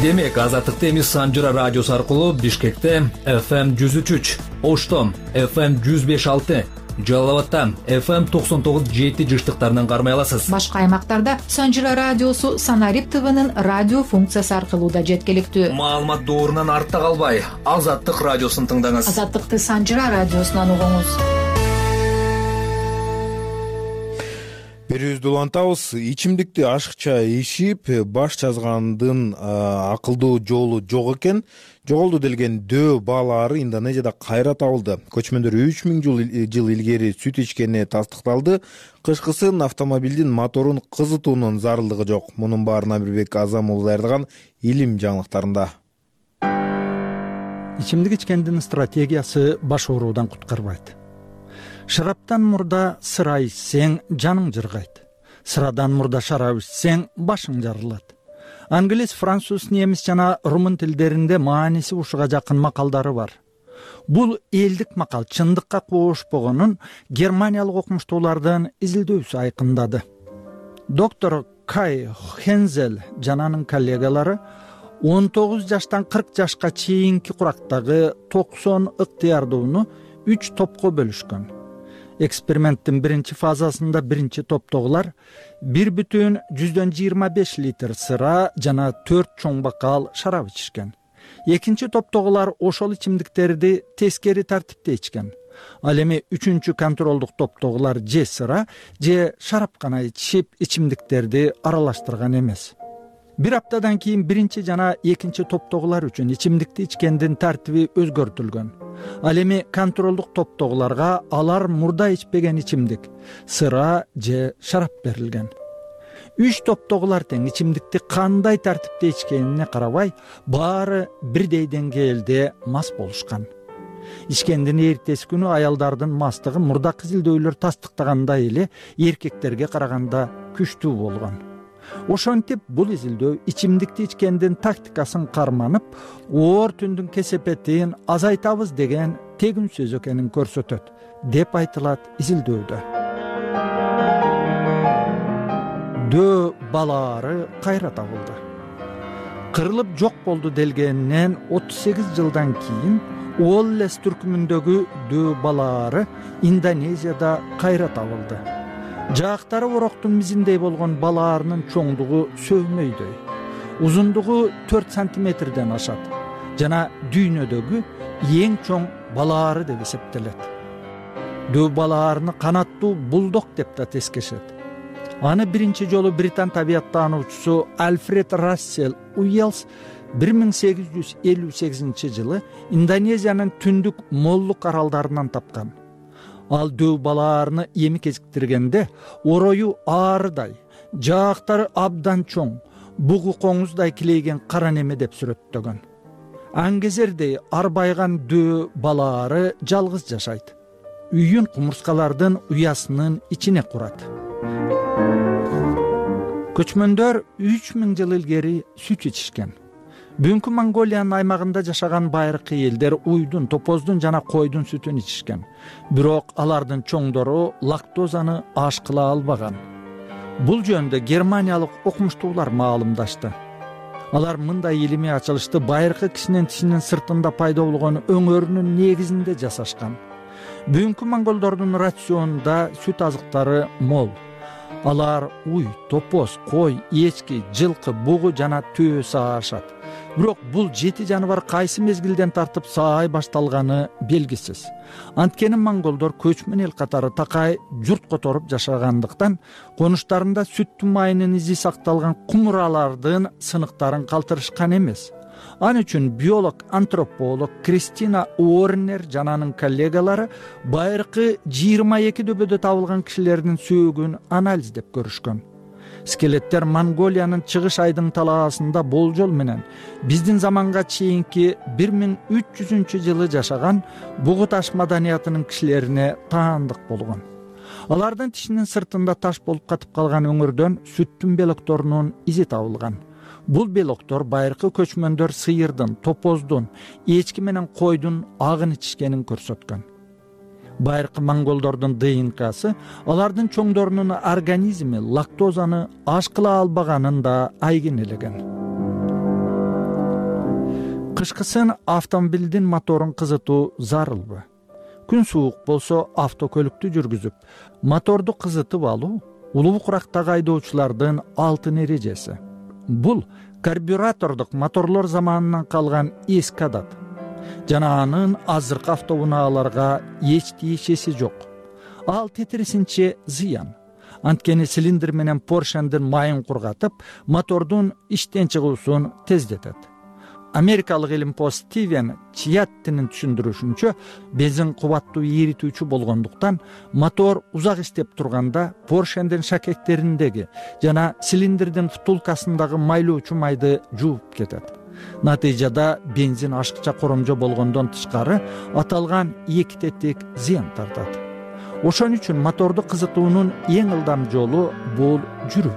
S17: Демек, Азаттыкты эми Санжыра радиосу аркылуу Бишкекте FM 103, Оштон FM 105.6, Жалал-Абадта FM 99.7 жыштыктарынан кармай аласыз.
S18: Башка аймактарда Санжыра радиосу Санарип ТВнын радио функциясы аркылуу да жеткиликтүү.
S17: Маалымат доорунан артта калбай, Азаттык радиосун тыңдаңыз.
S18: Азаттыкты Санжыра радиосунан угуңуз.
S1: Берүүбүздү улантабыз. Ичимдикти ашыкча ичип, баш жазгандын акылдуу жолу жок экен. Жоголду делген дөө баалары Индонезияда кайра табылды. Көчмөндөр 3000 жыл илгери сүт ичкени тастыкталды. Кышкысын автомобилдин моторун кызытуунун зарылдыгы жок. Мунун баарын Амирбек Азам уулу даярдаган илим жаңылыктарында.
S19: Ичимдик ичкендин стратегиясы баш ооруудан куткарбайт. Шараптан мурда сыра ичсең жаның жыргайт. Sıradan murda şarap içsең башың жарылат. Англис, француз, немис жана румын тилдеринде мааниси ушуга жакын макалдары бар. Бул элдик макал чындыкка кошпогонун германиялык окумуштуулардын изилдөөсү айкындады. Доктор Кай Хензел жана анын коллегалары 19 жаштан 40 жашка чейинки курактагы 90 ыктыярдууну 3 топко бөлүшкөн. Эксперименттин биринчи фазасында биринчи топтогулар 1,25 литр сыра жана 4 чоң бокал шарап ичишкен. Экинчи топтогулар ошол ичимдиктерди тескери тартипте ичкен. Ал эми үчүнчү контролдук топтогулар же сыра же шарап гана ичип ичимдиктерди аралаштырган эмес. Бир аптадан кийин биринчи жана экинчи топтогулар үчүн ичимдикти ичкендин тартиби өзгөртүлгөн. Ал эми контролдук топтогуларга алар мурда ичпеген ичимдик, сыра же шарап берилген. 3 топтогулар тең ичимдикти кандай тартипте ичкенине карабай, баары бирдей деңгээлде мас болушкан. Ичкендин эртеси күнү аялдардын мастыгы мурдакы изилдөөлөр тастыктагандай эле эркектерге караганда күчтүү болгон. Ошентип бул изилдөө ичимдикти ичкендин тактикасын карманып, оор түндүн кесепетин азайтабыз деген тегин сөз экенин көрсөтөт, деп айтылат изилдөөдө. Дөө балаары кайра табылды. Кырылып жок болду делгенинен 38 жылдан кийин Уоллес түркүмүндөгү дөө балаары Индонезияда кайра табылды. Жаактары ороктун мизиндей болгон балаарынын чоңдугу сөөмөйдөй. Узундугу 4 сантиметрден ашат жана дүйнөдөгү эң чоң балаары деп эсептелет. Дөө балаарыны канаттуу булдог деп да тескешет. Аны биринчи жолу британ табияттануучусу Альфред Рассел Уэллс 1858 жылы Индонезиянын түндүк Моллук аралдарынан тапкан. Ал дөө балаарыны эми кезиктиргенде орою аарыдай, жаактары абдан чоң, бугу коңуздай килейген кара неме деп сүрөттөгөн. Аңгезердей арбайган дөө балаары жалгыз жашайт. Үйүн кумурскалардын уясынын ичине курат. Көчмөндөр 3000 жыл илгери сүт ичишкен. Бүгүнкү Монголиянын аймагында жашаган байыркы элдер уйдун, топоздун жана койдун сүтүн ичишкен. Бирок алардын чоңдору лактозаны аш кыла албаган. Бул жөнүндө германиялык окумуштуулар маалымдашты. Алар мындай илимий ачылышты байыркы кишинин тишинин сыртында пайда болгон өңөрүнүн негизинде жасашкан. Бүгүнкү монголдордун рационунда сүт азыктары мол. Алар уй, топоз, кой, эчки, жылкы, бугу жана төө саашат. Бирок бул 7 жаныбар кайсы мезгилден тартып саай башталганы белгисиз. Анткени монголдор көчмөн эл катары такай журт которуп жашагандыктан конуштарында сүттүн майынын изи сакталган кумуралардын сыныктарын калтырышкан эмес. Ан үчүн биолог, антрополог Кристина Уорнер жана анын коллегалары байыркы 22 дөбөдө табылган кишилердин сөөгүн анализдеп көрүшкөн. Скелеттер Монголиянын чыгыш айдын талаасында болжол менен биздин заманга чейинки 1300 жылы жашаган бугу таш маданиятынын кишилерине таандык болгон. Алардын тишинин сыртында таш болуп катып калган өңөрдөн сүттүн белокторунун изи табылган. Бул белоктор байыркы көчмөндөр сыйырдын, топоздун, эчки менен койдун агын ичишкенин көрсөткөн. Байыркы монголдордун ДНКсы алардын чоңдорунун организми лактозаны аш кыла албаганын да айгинелеген. Кышкысын автомобилдин моторун кызытуу зарылбы? Күн суук болсо автокөлүктү жүргүзүп, моторду кызытып алуу улуу курактагы айдоочулардын алтын эрежеси. Бул карбюратордук моторлор заманынан калган эски адат. Жана анын азыркы автоунааларга эч тиешеси жок. Ал тетирисинче зыян. Анткени цилиндр менен поршендин майын кургатып, мотордун иштен чыгуусун тездетет. Америкалык илимпоз Стивен Чияттинин түшүндүрүшүнчө, бензин кубаттуу эритүүчү болгондуктан мотор узак иштеп турганда поршендин шакектериндеги жана цилиндрдин втулкасындагы майлоочу майды жууп кетет. Натыйжада бензин ашыкча коромжо болгондон тышкары аталган эки тетик зыян тартат. Ошон үчүн моторду кызытуунун эң ылдам жолу бул жүрүү.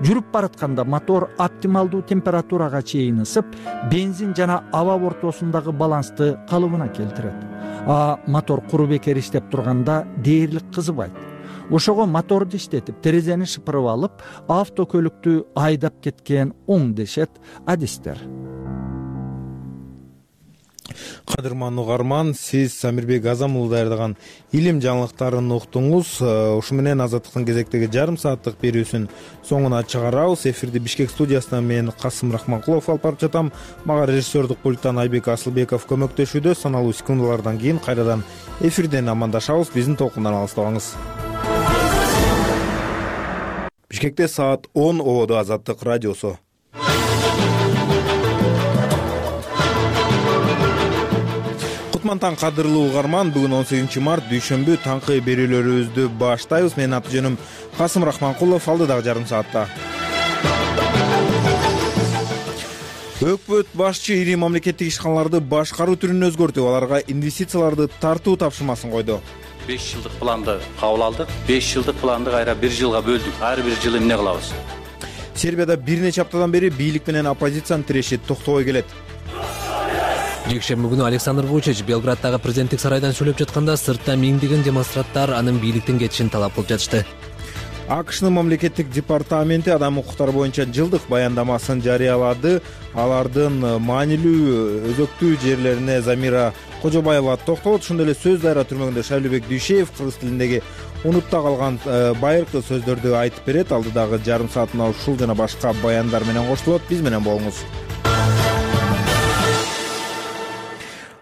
S19: Жүрүп баратканда мотор оптималдуу температурага чейин ысып, бензин жана аба ортосундагы балансты калыбына келтирет. Мотор куру бекер иштеп турганда дээрлик кызыбайт. Ошого моторду иштетип, терезени шыпырып алып, автокөлүктү айдап кеткен оң дешет адистер.
S1: Кадырман угарман, сиз Самирбек Азам уулу даярдаган илим жаңылыктарын уктуңуз. Ушу менен Азаттыктын кезектеги жарым сааттык берүүсүн соңуна чыгарабыз. Эфирди Бишкек студиясынан мен Касым Рахманкулов алып барып жатам. Мага режиссердук пульттан Айбек Асылбеков көмөктөшүүдө. Саналуу секундалардан кийин кайрадан эфирден амандашабыз. Биздин толкундан алыстабаңыз. Бишкекте саат 10, ободо Азаттык радиосу. Кутмантан кадырлуу угарман, бүгүн 18 март дүйшөмбү таңкы берүүлөрүбүздү баштайбыз. Менин аты жөнүм Касым Рахманкулов, алдыдагы жарым саатта. Өкмөт башчы ири мамлекеттик ишканаларды башкаруу түрүн өзгөртүп, аларга инвестицияларды тартуу тапшырмасын койду.
S20: 5 жылдык планды кабыл алдык. 5 жылдык планды кайра 1 жылга бөлдүк. Ар бир жылы эмне кылабыз?
S1: Сербияда бир нече аптадан бери бийлик менен оппозициянын тиреши токтобой келет.
S3: Жекшемби күнү Александр Вучич Белграддагы президенттик сарайдан сүйлөп жатканда сыртта миңдеген демонстранттар анын бийликтен кетишин талап кылып жатышты.
S1: АКШнын мамлекеттик департаменти адам укуктары боюнча жылдык баяндамасын жарыялады. Алардын маанилүү өзөктүү жерлерине Замира Кожобаева токтолот. Ошондой эле сөз дайра түрмөгүндө Шайлыбек Дүйшеев кыргыз тилиндеги унутта калган байыркы сөздөрдү айтып берет. Алдыдагы жарым саатына ушул жана башка баяндар менен коштулот. Биз менен болуңуз.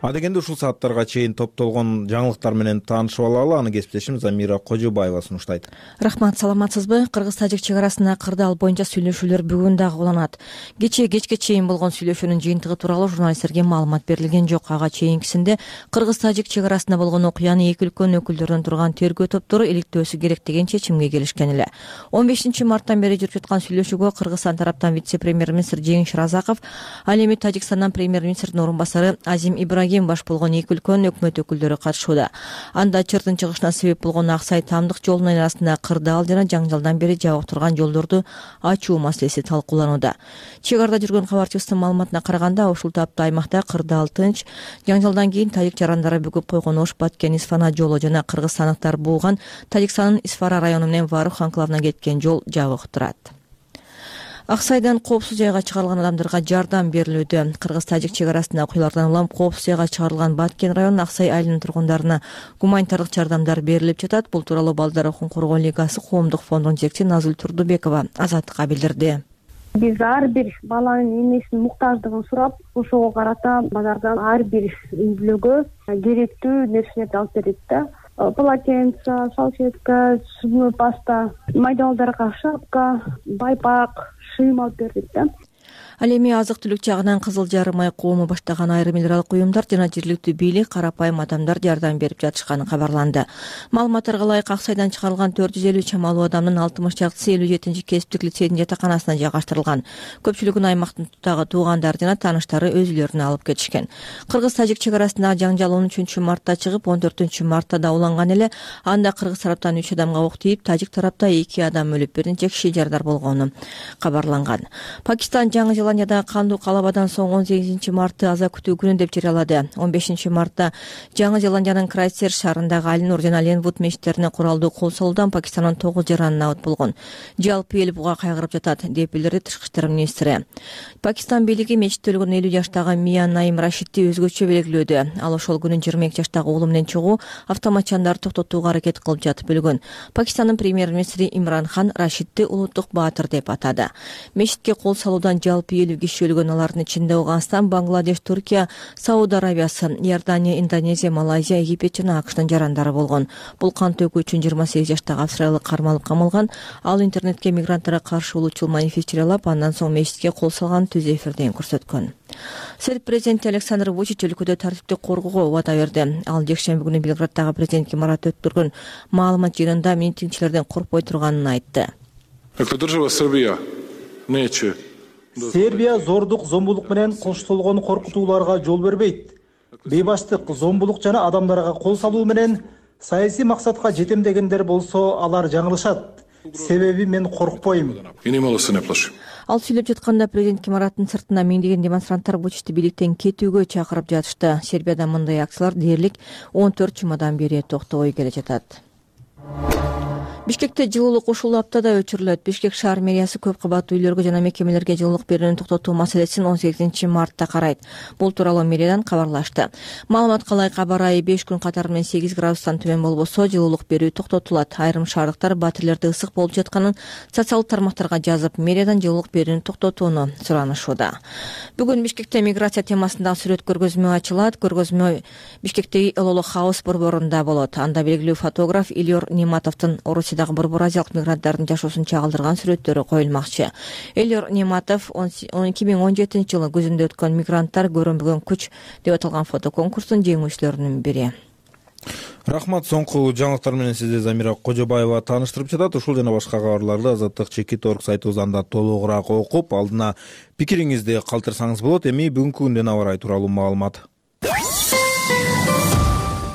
S1: Адегенде ушул сааттарга чейин топтолгон жаңылыктар менен таанышып алалы. Аны кесиптешим Замира Кожобаева сунуштайт.
S4: Рахмат, саламатсызбы? Кыргыз-тажик чек арасында кырдаал боюнча сүйлөшүүлөр бүгүн дагы уланат. Кечке чейин болгон сүйлөшүүнүн жыйынтыгы тууралуу журналисттерге маалымат берилген жок. Ага чейинкисинде кыргыз-тажик чек арасында болгон окуяны эки өлкөнүн өкүлдөрүнөн турган тергөө топтору иликтөөсү керек деген чечимге келишкен эле. 15 марттан бери жүрүп жаткан сүйлөшүүгө Кыргызстан тараптан вице-премьер-министр Жеңиш Разаков, ал эми Тажикстандан премьер-министрдин орун басары Азим Ибрагим баш болгон эки өлкөнүн өкмөт өкүлдөрү катышууда. Анда чырдын чыгышына себеп болгон Аксай Тамдык жолунун арасында кырдаал жана жаңжалдан бери жабык турган жолдорду ачуу маселеси талкууланууда. Чек арада жүргөн кабарчыбыздын маалыматына караганда, ушул тапта аймакта кырдаал тынч, жаңжалдан кийин тажик жарандары бүгүп койгон Ош Баткен Исфана жолу жана кыргызстандыктар бууган Тажикстандын Исфара району менен Варух анклавына кеткен жол жабык турат. Аксайдан коопсуз жайга чыгарылган адамдарга жардам берилүүдө. Кыргыз-тажик чек арасында окуялардан улам коопсуз жайга чыгарылган Баткен районунун Аксай айылынын тургундарына гуманитардык жардамдар берилип жатат. Бул тууралуу Балдар укугун коргоо лигасы коомдук фондунун жетекчиси Назгүл Турдубекова Азаттыкка билдирди.
S6: Биз ар бир баланын эмесинин муктаждыгын сурап, ошого карата базардан ар бир үй бүлөгө керектүү нерселерди алып берет да. Полотенце, салфетка, зубной паста, майда балдарга шапка, байпак, шыйым алып бердик да.
S4: Ал эми азык-түлүк жагынан Кызыл Жарым ай коому баштаган айрым эл аралык уюмдар жана жергиликтүү бийлик карапайым адамдар жардам берип жатышканы кабарланды. Маалыматтарга ылайык Аксайдан чыгарылган 450 чамалуу адамдын 60 чактысы 57 кесиптик лицейдин жатаканасына жайгаштырылган. Көпчүлүгүн аймактагы туугандар жана тааныштары өз үйлөрүнө алып кетишкен. Кыргыз-тажик чек арасындагы жаңжал 13 мартта чыгып, 14 мартта да уланган эле. Анда кыргыз тараптан 3 адамга ок тийип, тажик тарапта 2 адам өлүп, бир нече киши жардар болгону кабарланган. Пакистан Жаңы Зеландияда кандуу калабадан соң 18 мартты аза күтүү күнү деп жарыялады. 15 мартта Жаңы Зеландиянын Крайстчерч шаарындагы Алинур жана Ленвуд мечиттерине куралдуу кол салуудан Пакистандын 9 жараны абыт болгон. Жалпы эл буга кайгырып жатат, деп билдирди Тышкы иштер министри. Пакистан бийлиги мечитте өлгөн 50 жаштагы Мия Наим Рашидди өзгөчө белгилөөдө. Ал ошол күнү 22 жаштагы уулу менен чыгуу автоматчандарды токтотууга аракет кылып жатып өлгөн. Пакистандын премьер-министри Имран Хан Рашидди улуттук баатыр деп атады. Мечитке кол салуудан жалпы 50 киши өлгөн, алардын ичинде Ауганстан, Бангладеш, Туркия, Сауд Арабиясы, Иордания, Индонезия, Малайзия, Египет жана АКШтын жарандары болгон. Бул кан төгүү үчүн 28 жаштагы австралиялык кармалып камалган. Ал интернетке мигранттарга каршы улуучул манифест жарыялап, андан соң мечитке кол салган түз эфирден көрсөткөн. Серб президенти Александр Вучич өлкөдө тартипти коргоого убада берди. Ал жекшемби күнү Белграддагы президентке марат өткөргөн маалымат жыйынында митингчилерден коркпой турганын айтты.
S5: Сербия зордук, зомбулук менен коштолгон коркутууларга жол бербейт. Бейбаштык, зомбулук жана адамдарга кол салуу менен саясий максатка жетем дегендер болсо алар жаңылышат. Себеби мен коркпойм.
S4: Ал сүйлөп жатканда президент имараттын сыртына миңдеген демонстранттар Вучичти бийликтен кетүүгө чакырып жатышты. Сербияда мындай акциялар дээрлик 14 жумадан бери токтобой келе жатат. Бишкекте жылуулук ушул аптада өчүрүлөт. Бишкек шаар мэриясы көп кабаттуу үйлөргө жана мекемелерге жылуулук берүүнү токтотуу маселесин 18 мартта карайт. Бул тууралуу мэриядан кабарлашты. Маалыматка ылайык аба ырайы 5 күн катары менен 8 градустан төмөн болбосо жылуулук берүү токтотулат. Айрым шаардыктар батирлерде ысык болуп жатканын социалдык тармактарга жазып, мэриядан жылуулук берүүнү токтотууну суранышууда. Бүгүн Бишкекте миграция темасындагы сүрөт көргөзмө ачылат. Көргөзмө Бишкектеги Элоло Хаус борборунда болот. Анда белгилүү фотограф Ильор Нематовдун Орусиядагы борбор азиялык мигранттардын жашоосун чагылдырган сүрөттөрү коюлмакчы. Эльор Нематов 2017 жылы көзүндө өткөн мигранттар көрүнбөгөн күч деп аталган фотоконкурстун жеңүүчүлөрүнүн бири.
S1: Рахмат. Соңку жаңылыктар менен сизди Замира Кожобаева тааныштырып жатат. Ушул жана башка кабарларды Азаттык Чекит.org сайтыбыздан толугураак окуп, алдына пикириңизди калтырсаңыз болот. Эми бүгүнкү күндүн аба ырайы тууралуу маалымат.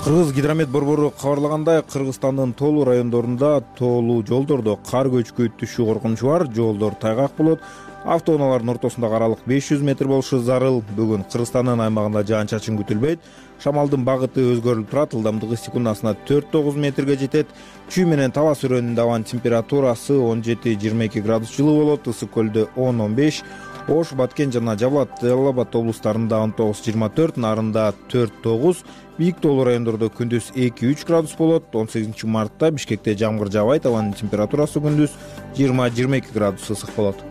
S1: Кыргыз гидромет борбору кабарлагандай, Кыргызстандын тоолуу райондорунда тоолуу жолдордо кар көчкү түшүү коркунучу бар. Жолдор тайгак болот. Автоунаалардын ортосундагы аралык 500 метр болушу зарыл. Бүгүн Кыргызстандын аймагында жаан-чачын күтүлбөйт. Шамалдын багыты өзгөрүлүп турат. Ылдамдыгы секундасына 4-9 метрге жетет. Чүй менен таба сүрөөнүндө абанын температурасы 17-22 градус жылуу болот. Ысык көлдө 10-15, Ош, Баткен жана Жалал Абад облустарында 19-24, Нарында 4-9, бийик тоолуу райондордо күндүз 2-3 градус болот. 18 мартта Бишкекте жамгыр жаабайт. Абанын температурасы күндүз 20-22 градус ысык болот.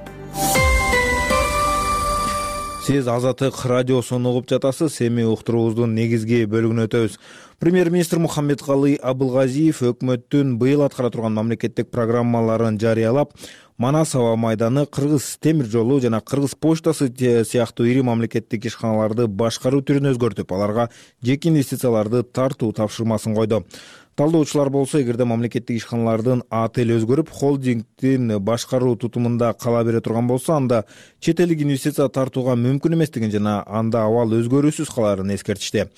S1: Сиз Азаттык радиосун угуп жатасыз. Эми уктуруубуздун негизги бөлүгүнө өтөбүз. Премьер-министр Мухаммедкалый Абылгазиев өкмөттүн быйыл аткара турган мамлекеттик программаларын жарыялап, Манас аба майданы, Кыргыз темир жолу жана Кыргыз почтасы сыяктуу ири мамлекеттик ишканаларды башкаруу түрүн өзгөртүп, аларга жеке инвестицияларды тартуу тапшырмасын койду. Талдоочулар болсо, эгерде мамлекеттик ишканалардын АТЛ өзгөрүп, холдингдин башкаруу тутумунда кала бере турган болсо, анда чет элдик инвестиция тартууга мүмкүн эместигин жана анда абал өзгөрүүсүз каларын эскертишти.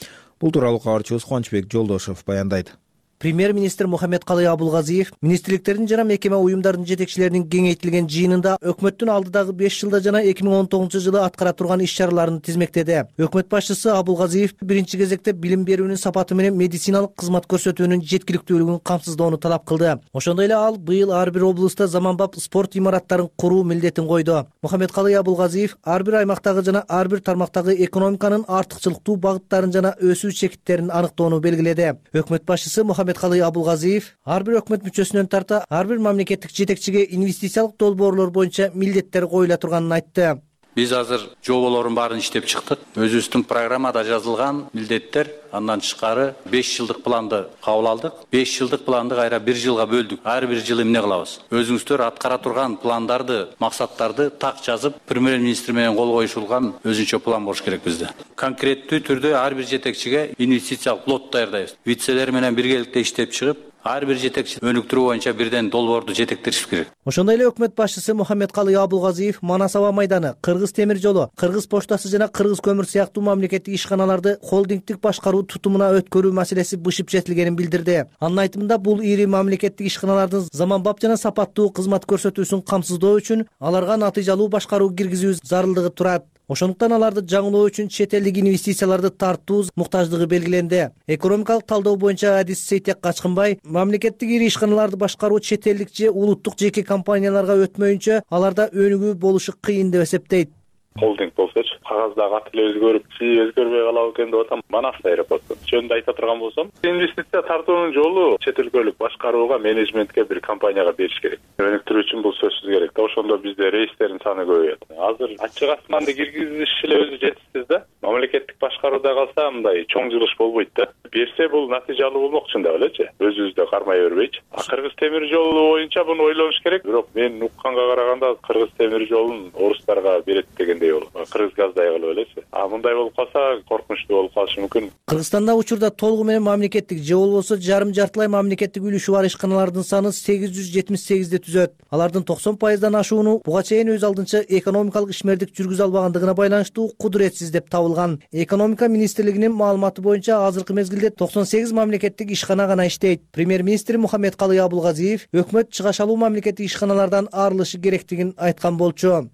S1: Бул тууралуу кабарчыбыз Кубанычбек Жолдошев баяндайт.
S21: Премьер-министр Мухаммедкалый Абылгазиев министрликтердин жана мекеме уюмдардын жетекчилеринин кеңейтилген жыйынында өкмөттүн алдыдагы 5 жылда жана 2019 жылы аткара турган иш-чараларын тизмектеди. Өкмөт башчысы Абылгазиев биринчи кезекте билим берүүнүн сапаты менен медициналык кызмат көрсөтүүнүн жеткиликтүүлүгүн камсыздоону талап кылды. Ошондой эле ал быйыл ар бир облустта заманбап спорт имараттарын куруу милдетин койду. Мухаммедкалый Абылгазиев ар бир аймактагы жана ар бир тармактагы экономиканын артыкчылыктуу багыттарын жана өсүү чекиттерин аныктоону белгиледи. Өкмөт башчысы Мухаммедкалый Абылгазиев ар бир өкмөт мүчөсүнөн тарта ар бир мамлекеттик жетекчиге инвестициялык долбоорлор боюнча милдеттер коюла турганын айтты.
S20: Биз азыр жоболордун баарын иштеп чыктык. Өзүбүздүн программада жазылган милдеттер, андан тышкары 5 жылдык планды кабыл алдык. 5 жылдык планды кайра 1 жылга бөлдүк. Ар бир жылы эмне кылабыз? Өзүңүздөр аткара турган пландарды, максаттарды так жазып, премьер-министр менен кол коюшулган өзүнчө план болуш керек бизде. Конкреттүү түрдө ар бир жетекчиге инвестициялык лот даярдайбыз. Вицелер менен биргеликте иштеп чыгып, ар бир жетекчи өнүктүрүү боюнча бирден долбоорду жетектириш керек.
S21: Ошондой эле өкмөт башчысы Мухаммедкалый Абылгазиев Манас аба майданы, Кыргыз темир жолу, Кыргыз почтасы жана Кыргыз көмүр сыяктуу мамлекеттик ишканаларды холдингдик башкаруу тутумуна өткөрүү маселеси бышып жетилгенин билдирди. Анын айтымында бул ири мамлекеттик ишканалардын заманбап жана сапаттуу кызмат көрсөтүүсүн камсыздоо үчүн аларга натыйжалуу башкаруу киргизүү зарылдыгы турат. Ошондуктан аларды жаңылоо үчүн чет элдик инвестицияларды тартуу муктаждыгы белгиленди. Экономикалык талдоо боюнча адис Сейтек Качкынбай мамлекеттик ири ишканаларды башкаруу чет элдик же улуттук жеке компанияларга өтмөйүнчө аларда өнүгүү болушу кыйын деп эсептейт.
S22: Холдинг болсочу кагаздагы аты эле өзгөрүп, өзгөрбөй калабы экен деп атам. Манас аэропорту жөнүндө айта турган болсом, инвестиция тартуунун жолу чет өлкөлүк башкарууга, менеджментке бир компанияга бериш керек. Өнүктүрүү үчүн бул сөзсүз керек да. Ошондо бизде рейстердин саны көбөйөт. Азыр ачык асманды киргизиш эле өзү жетишсиз да. Мамлекеттик башкарууда калса мындай чоң жылыш болбойт да. Берсе бул натыйжалуу болмок чындап элечи. Өзүбүздө кармай бербейчи. Кыргыз темир жолу боюнча буну ойлонуш керек. Бирок мен укканга караганда Кыргыз темир жолун орустарга берет дегенде ичкендей болуп, кыргыз газдай кылып элеси. Мындай болуп калса коркунучтуу болуп калышы мүмкүн.
S21: Кыргызстанда учурда толугу менен мамлекеттик же болбосо жарым-жартылай мамлекеттик үлүшү бар ишканалардын саны 878 түзөт. Алардын 90%дан ашууну буга чейин өз алдынча экономикалык ишмердик жүргүзө албагандыгына байланыштуу кудуретсиз деп табылган. Экономика министрлигинин маалыматы боюнча азыркы мезгилде 98 мамлекеттик ишкана гана иштейт. Премьер-министр Мухаммедкалый Абулгазиев өкмөт чыгашалуу мамлекеттик ишканалардан арылышы керектигин айткан болчу.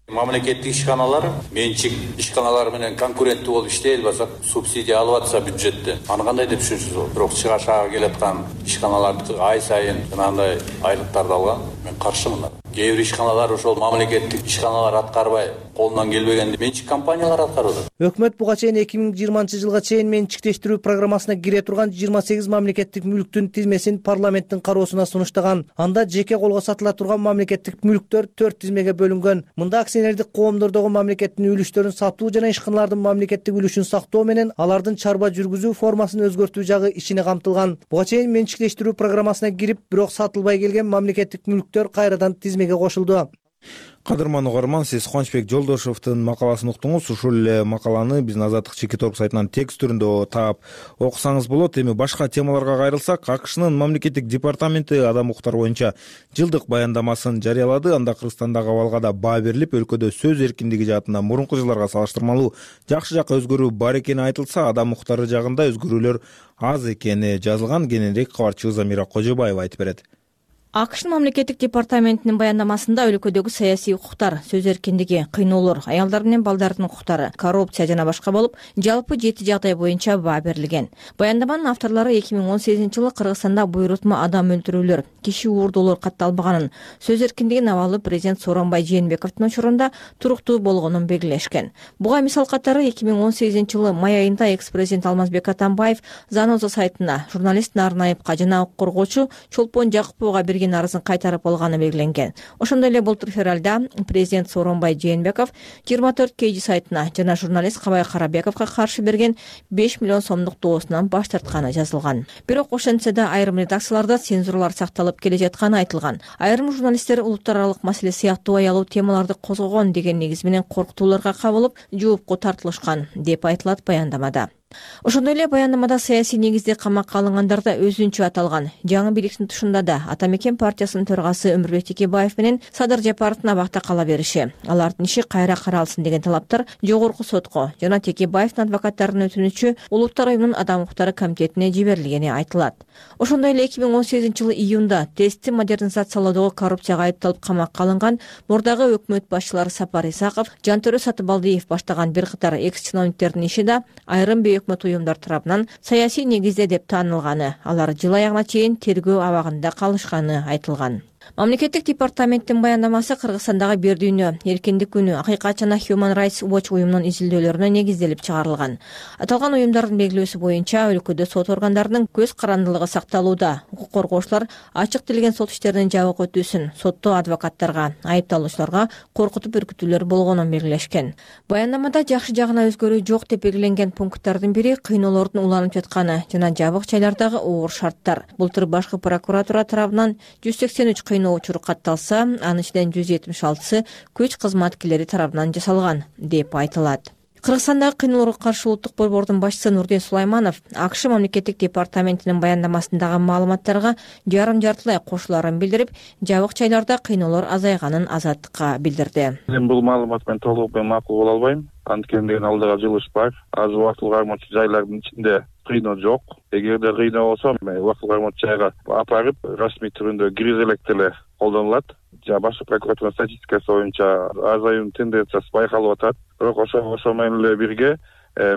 S20: Мамлекеттик ишканалар менчик ишканалар менен конкуренттүү болуп иштей албаса, субсидия алып атса бюджеттен, аны кандай деп түшүнөсүз? Бирок чыгашага келаткан ишканаларды ай сайын жанагындай айлыктарды алган, мен каршымын. Кээ бир ишканалар ошол мамлекеттик ишканалар аткарбай, колунан келбегенди менчик компаниялар аткарып атат.
S21: Өкмөт буга чейин 2020-жылга чейин менчиктештирүү программасына кире турган 28 мамлекеттик мүлктүн тизмесин парламенттин кароосуна сунуштаган. Анда жеке колго сатыла турган мамлекеттик мүлктөр 4 тизмеге бөлүнгөн. Мында акционердик коомдордогу мамлекеттин үлүштөрүн сатуу жана ишканалардын мамлекеттик үлүшүн сактоо менен алардын чарба жүргүзүү формасын өзгөртүү жагы ичине камтылган. Буга чейин менчиктештирүү программасына кирип, бирок сатылбай келген мамлекеттик мүлктөр кайрадан тизмеге кошулду.
S1: Кадырман угарман, сиз Кубанычбек Жолдошовдун макаласын уктуңуз. Ушул эле макаланы биздин Азаттык Чекит Орг сайтынан текст түрүндө таап окусаңыз болот. Эми башка темаларга кайрылсак, АКШнын мамлекеттик департаменти адам укуктары боюнча жылдык баяндамасын жарыялады. Анда Кыргызстандагы абалга да баа берилип, өлкөдө сөз эркиндиги жаатынан мурунку жылдарга салыштырмалуу жакшы жакка өзгөрүү бар экени айтылса, адам укуктары жагында өзгөрүүлөр аз экени жазылган. Кененирээк кабарчыбыз Замира Кожобаева айтып берет.
S4: АКШнын мамлекеттик департаментинин баяндамасында өлкөдөгү саясий укуктар, сөз эркиндиги, кыйноолор, аялдар менен балдардын укуктары, коррупция жана башка болуп, жалпы 7 жагдай боюнча баа берилген. Баяндаманын авторлору 2018-жылы Кыргызстанда буйрутма адам өлтүрүүлөр, киши уурдоолор катталбаганын, сөз эркиндигинин абалы президент Сооронбай Жээнбековдун учурунда туруктуу болгонун белгилешкен. Буга мисал катары 2018-жылы май айында экс-президент Алмазбек Атамбаев Заноза сайтына журналист Нарын Айыпка жана укук коргоочу Чолпон Жакыповго арызын кайтарып алганы белгиленген. Ошондой эле былтыр февралда президент Сооронбай Жээнбеков 24 KG сайтына жана журналист Кабай Карабековго каршы берген 5 миллион сомдук доосунан баш тартканы жазылган. Бирок ошентсе да айрым редакцияларда цензуралар сакталып келе жатканы айтылган. Айрым журналисттер улуттар аралык маселе сыяктуу аялуу темаларды козгогон деген негиз менен коркутууларга кабылып, жоопко тартылышкан деп айтылат баяндамада. Ошондой эле баяндамада саясий негизде камакка алынгандар да өзүнчө аталган. Жаңы бийликтин тушунда да Ата Мекен партиясынын төрагасы Өмүрбек Текебаев менен Садыр Жапаровдун абакта кала бериши, алардын иши кайра каралсын деген талаптар жогорку сотко жана Текебаевдин адвокаттарынын өтүнүчү Улуттар уюмунун адам укуктары комитетине жиберилгени айтылат. Ошондой эле 2018-жылы июнда тестти модернизациялоодогу коррупцияга айыпталып камакка алынган мурдагы өкмөт башчылары Сапар Исаков, Жантөрө Сатыбалдиев баштаган бир катар экс-чиновниктердин иши да айрым өкмөт уюмдар тарабынан саясий негизде деп таанылганы, алар жыл аягына чейин тергөө абагында калышканы айтылган. Мамлекеттик департаменттин баяндамасы Кыргызстандагы бир дүйнө, эркиндик күнү, Акыйкат жана Human Rights Watch уюмунун изилдөөлөрүнө негизделип чыгарылган. Аталган уюмдардын белгилөөсү боюнча өлкөдө сот органдарынын көз карандылыгы сакталууда. Укук коргоочулар ачык тилген сот иштеринин жабык өтүүсүн сотто адвокаттарга, айыпталуучуларга коркутуп үркүтүүлөр болгонун белгилешкен. Баяндамада жакшы жагына өзгөрүү жок деп белгиленген пункттардын бири кыйноолордун уланып жатканы жана жабык жайлардагы оор шарттар. Былтыр башкы прокуратура тарабынан 183 кыйноо учуру катталса, анын ичинен 176-сы күч кызматкерлери тарабынан жасалган деп айтылат. Кыргызстандагы кыйноолорго каршы улуттук борбордун башчысы Нурдин Сулайманов АКШ мамлекеттик департаментинин баяндамасындагы маалыматтарга жарым-жартылай кошуларын билдирип, жабык жайларда кыйноолор азайганын Азаттыкка билдирди.
S22: Мен бул маалымат менен толук макул боло албайм. Анткени алдыга жылыш бар. Азыр убактылык кармоочу жайлардын ичинде кыйноо жок. Эгерде кыйноо болсо, убактылык кармоочу жайга апарып, расмий түрүндө киргизе элек эле колдонулат. Башкы прокуратура статистикасы боюнча азаюунун тенденциясы байкалып атат. Бирок ошо менен эле бирге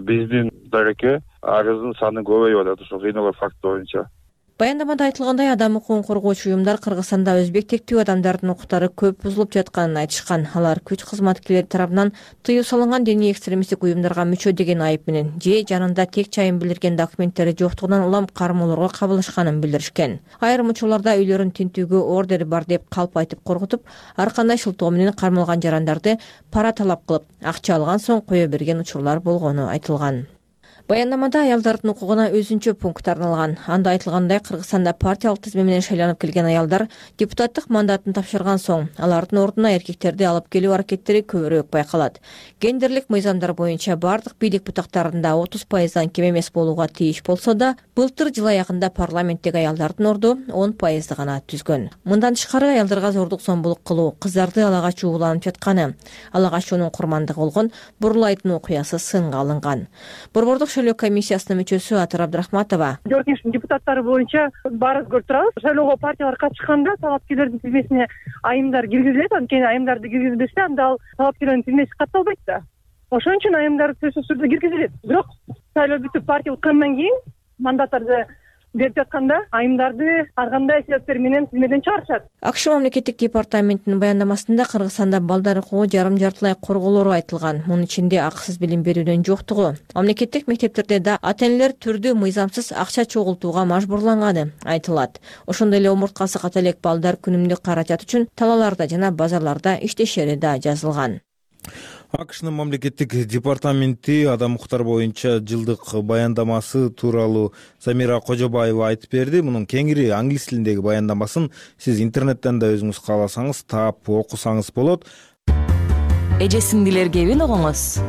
S22: биздин дареке арыздын саны көбөйүп атат ошо кыйноолор факти боюнча.
S4: Баяндамада айтылгандай, адам укугун коргоочу уюмдар Кыргызстанда өзбек тектүү адамдардын укуктары көп бузулуп жатканын айтышкан. Алар күч кызматкерлери тарабынан тыюу салынган диний экстремисттик уюмдарга мүчө деген айып менен же жанында тек чайын билдирген документтери жоктугунан улам кармоолорго кабылышканын билдиришкен. Айрым учурларда үйлөрүн тинтүүгө ордери бар деп калп айтып коркутуп, ар кандай шылтоо менен кармалган жарандарды пара талап кылып, акча алган соң кое берген учурлар болгону айтылган. Баяндамада аялдардын укугуна өзүнчө пункт арналган. Анда айтылгандай, Кыргызстанда партиялык тизме менен шайланып келген аялдар депутаттык мандатын тапшырган соң алардын ордуна эркектерди алып келүү аракеттери көбүрөөк байкалат. Гендерлик мыйзамдар боюнча бардык бийлик бутактарында 30%дан кем эмес болууга тийиш болсо да, былтыр жыл аягында парламенттеги аялдардын орду 10% гана түзгөн. Мындан тышкары аялдарга зордук зомбулук кылуу, кыздарды ала качуу уланып жатканы, ала качуунун курмандыгы болгон Бурлайдын окуясы сынга алынган. Борбордук шайлоо комиссиясынын мүчөсү Атыр Абдрахматова:
S2: 4 кеңештин депутаттары боюнча баары көрүп турабыз. Шайлоого партиялар катышканда талапкерлердин тизмесине айымдар киргизилет. Анткени айымдарды киргизбесе, анда ал талапкерлердин тизмеси катталбайт да. Ошон үчүн айымдар сөзсүз түрдө киргизилет. Бирок шайлоо бүтүп партия уткандан кийин мандаттарды берип жатканда айымдарды ар кандай себептер менен тизмеден чыгарышат.
S4: АКШ мамлекеттик департаментинин баяндамасында Кыргызстанда балдар укугу жарым-жартылай корголору айтылган. Мунун ичинде акысыз билим берүүдөн жоктугу, мамлекеттик мектептерде да ата-энелер түрдүү мыйзамсыз акча чогултууга мажбурланганы айтылат. Ошондой эле омурткасы ката элек балдар күнүмдүк каражат үчүн талааларда жана базарларда иштешери да жазылган.
S1: АКШнын мамлекеттик департаменти адам укуктары боюнча жылдык баяндамасы тууралуу Замира Кожобаева айтып берди. Мунун кеңири англис тилиндеги баяндамасын сиз интернеттен да өзүңүз кааласаңыз таап окусаңыз болот.
S9: Эже-сиңдилер кебин угуңуз.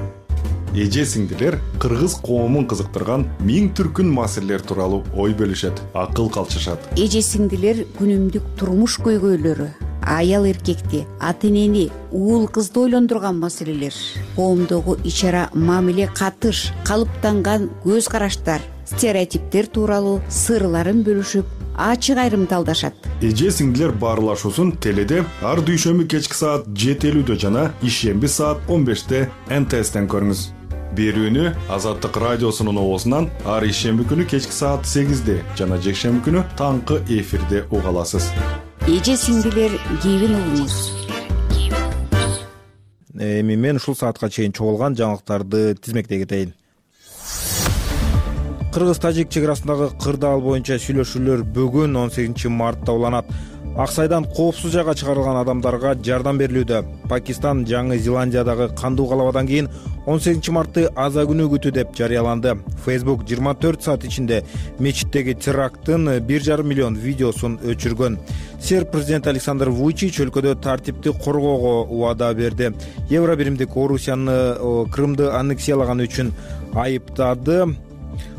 S23: Эже-сиңдилер кыргыз коомун кызыктырган миң түркүн маселелер тууралуу ой бөлүшөт, акыл калчышат.
S24: Эже-сиңдилер күнүмдүк турмуш көйгөйлөрү, аял эркекти, ата-энени, уул кызды ойлондурган маселелер, коомдогу ичара мамиле катыш, калыптанган көз караштар, стереотиптер тууралуу сырларын бөлүшүп, ачык айрымталдашат.
S23: Эже-сиңдилер баарлашуусун теледе ар дүйшөмбү кечки саат 7:50 жана ишемби саат 15-те НТСтен көрүңүз. Берүүнү Азаттык радиосунун оозунан ар ишемби күнү кечки саат 8-де жана жекшемби күнү таңкы эфирде уга аласыз.
S24: Эже-сиңдилер кебин угуңуз.
S1: Эми мен ушул саатка чейин чогулган жаңылыктарды тизмектей кетейин. Кыргыз-тажик чек арасындагы кырдаал боюнча сүйлөшүүлөр бүгүн 18 мартта уланат. Аксайдан коопсуз жайга чыгарылган адамдарга жардам берилүүдө. Пакистан Жаңы Зеландиядагы кандуу калабадан кийин 18 мартты аза күнү күтүү деп жарыяланды. Facebook 24 саат ичинде мечиттеги теракттын 1,5 миллион видеосун өчүргөн. Серб президенти Александр Вучич өлкөдө тартипти коргоого убада берди. Евро биримдик Орусияны Крымды аннексиялаган үчүн айыптады.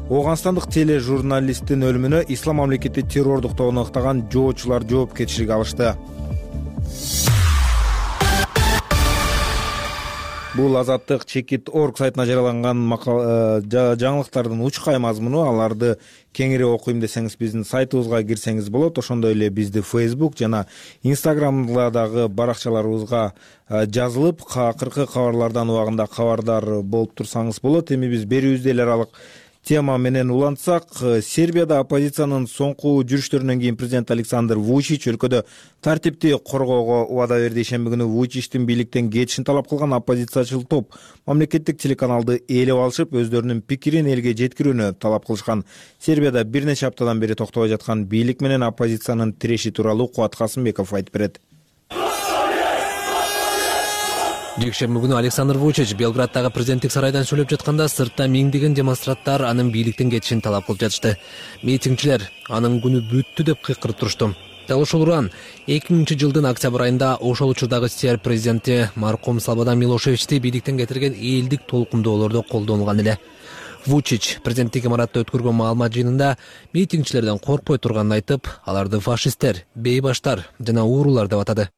S1: Оганстандык тележурналисттин өлүмүнө Ислам мамлекети террордук тобун ыктаган жоочулар жоопкерчилик алышты. Бул Азаттык Чекит.org сайтына жарыяланган жаңылыктардын учкай мазмуну. Аларды кеңири окуйм десеңиз биздин сайтыбызга кирсеңиз болот. Ошондой эле бизди Facebook жана Instagram'дагы баракчаларыбызга жазылып, акыркы кабарлардан убагында кабардар болуп турсаңыз болот. Эми биз берүүбүздө эл аралык тема менен улантсак, Сербияда оппозициянын соңку жүрүштөрүнөн кийин президент Александр Вучич өлкөдө тартипти коргоого убада берди. Ишемби күнү Вучичтин бийликтен кетишин талап кылган оппозициячыл топ мамлекеттик телеканалды ээлеп алышып, өздөрүнүн пикирин элге жеткирүүнү талап кылышкан. Сербияда бир нече аптадан бери токтобой жаткан бийлик менен оппозициянын тиреши тууралуу Кубат Касымбеков айтып берет.
S3: Жекшемби күнү Александр Вучич Белграддагы президенттик сарайдан сүйлөп жатканда сыртта миңдеген демонстранттар анын бийликтен кетишин талап кылып жатышты. Митингчилер анын күнү бүттү деп кыйкырып турушту. Дал ошол уран 2000 жылдын октябрь айында ошол учурдагы Серб президенти маркум Слободан Милошевичти бийликтен кетирген элдик толкундоолордо колдонулган эле. Вучич президенттик имаратта өткөргөн маалымат жыйынында митингчилерден коркпой турганын айтып, аларды фашисттер, бейбаштар жана уурулар деп атады.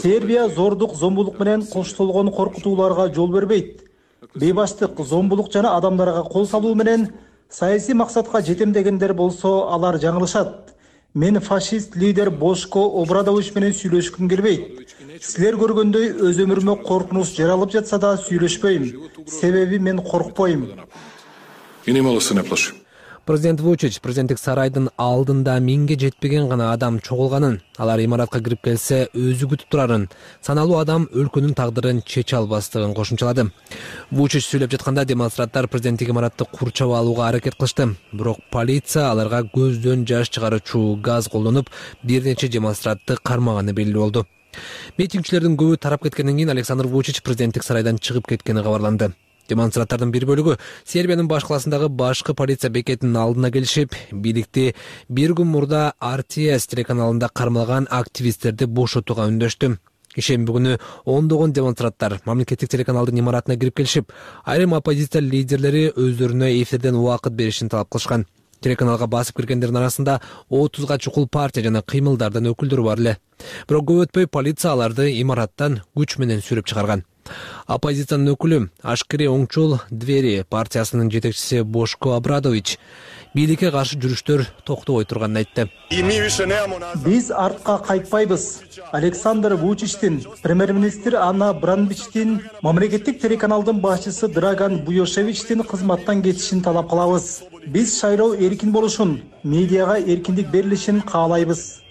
S5: Сербия зордук, зомбулук менен коштолгон коркутууларга жол бербейт. Бейбаштык, зомбулук жана адамдарга кол салуу менен саясий максатка жетем дегендер болсо, алар жаңылышат. Мен фашист лидер Бошко Обрадович менен сүйлөшкүм келбейт. Силер көргөндөй өз өмүрүмө коркунуч жаралып жатса да сүйлөшпөйм. Себеби мен коркпойм.
S3: Президент Вучич президенттик сарайдын алдында миңге жетпеген гана адам чогулганын, алар имаратка кирип келсе өзү күтүп турарын, саналуу адам өлкөнүн тагдырын чече албастыгын кошумчалады. Вучич сүйлөп жатканда демонстранттар президенттик имаратты курчап алууга аракет кылышты, бирок полиция аларга көздөн жаш чыгаруучу газ колдонуп, бир нече демонстрантты кармаганы белгилүү болду. Митингчилердин көбү тарап кеткенден кийин Александр Вучич президенттик сарайдан чыгып кеткени кабарланды. Демонстранттардын бир бөлүгү Сербиянын баш каласындагы башкы полиция бекетинин алдына келишип, бийликти бир күн мурда RTS телеканалында кармалган активисттерди бошотууга үндөштү. Ишемби күнү ондогон демонстранттар мамлекеттик телеканалдын имаратына кирип келишип, айрым оппозиция лидерлери өздөрүнө эфирден убакыт беришин талап кылышкан. Телеканалга басып киргендердин арасында 30га чукул партия жана кыймылдардын өкүлдөрү бар эле. Бирок көп өтпөй полиция аларды имараттан күч менен сүрүп чыгарган. Оппозициянын өкүлү Ашкери оңчул Двери партиясынын жетекчиси Бошко Абрадович бийликке каршы жүрүштөр токтобой турганын айтты.
S5: Биз артка кайтпайбыз. Александр Вучичтин, премьер-министр Анна Бранбичтин, мамлекеттик телеканалдын башчысы Драган Буйошевичтин кызматтан кетишин талап кылабыз. Биз шайлоо эркин болушун, медиага эркиндик берилишин каалайбыз.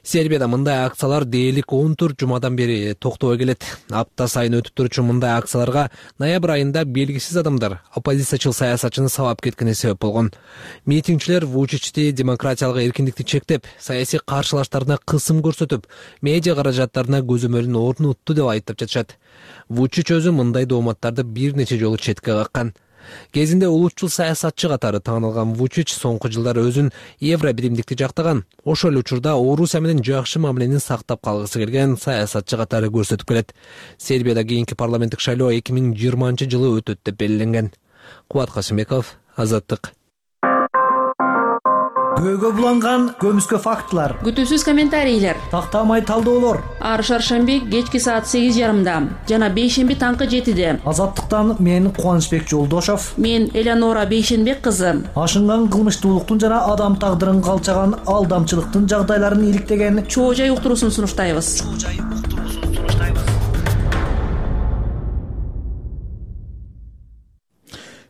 S3: Сербияда мындай акциялар дээрлик 14 жумадан бери токтобой келет. Апта сайын өтүп турчу мындай акцияларга ноябрь айында белгисиз адамдар оппозициячыл саясатчыны сабап кеткени себеп болгон. Митингчилер Вучичти демократиялык эркиндикти чектеп, саясий каршылаштарына кысым көрсөтүп, медиа каражаттарына көзөмөлүн орнутту деп айыптап жатышат. Вучич өзү мындай дооматтарды бир нече жолу четке каккан. Кезинде улутчул саясатчы катары таанылган Вучич соңку жылдары өзүн евро биримдикти жактаган. Ошол эле учурда Орусия менен жакшы мамилени сактап калгысы келген саясатчы катары көрсөтүп келет. Сербияда кийинки парламенттик шайлоо 2020-жылы өтөт деп белгиленген. Кубат Касымбеков, Азаттык.
S21: Көйгө буланган көмүскө фактылар,
S7: күтүүсүз комментарийлер,
S21: тактамай талдоолор.
S7: Ар шаршемби кечки саат 8:30 жана бейшемби таңкы 7-де.
S21: Азаттыктан мен Кубанычбек Жолдошов,
S7: мен Элеонора Бейшенбек кызы.
S21: Ашынган кылмыштуулуктун жана адам тагдырын калчаган алдамчылыктын жагдайларын иликтеген
S7: чоо жай уктуруусун сунуштайбыз.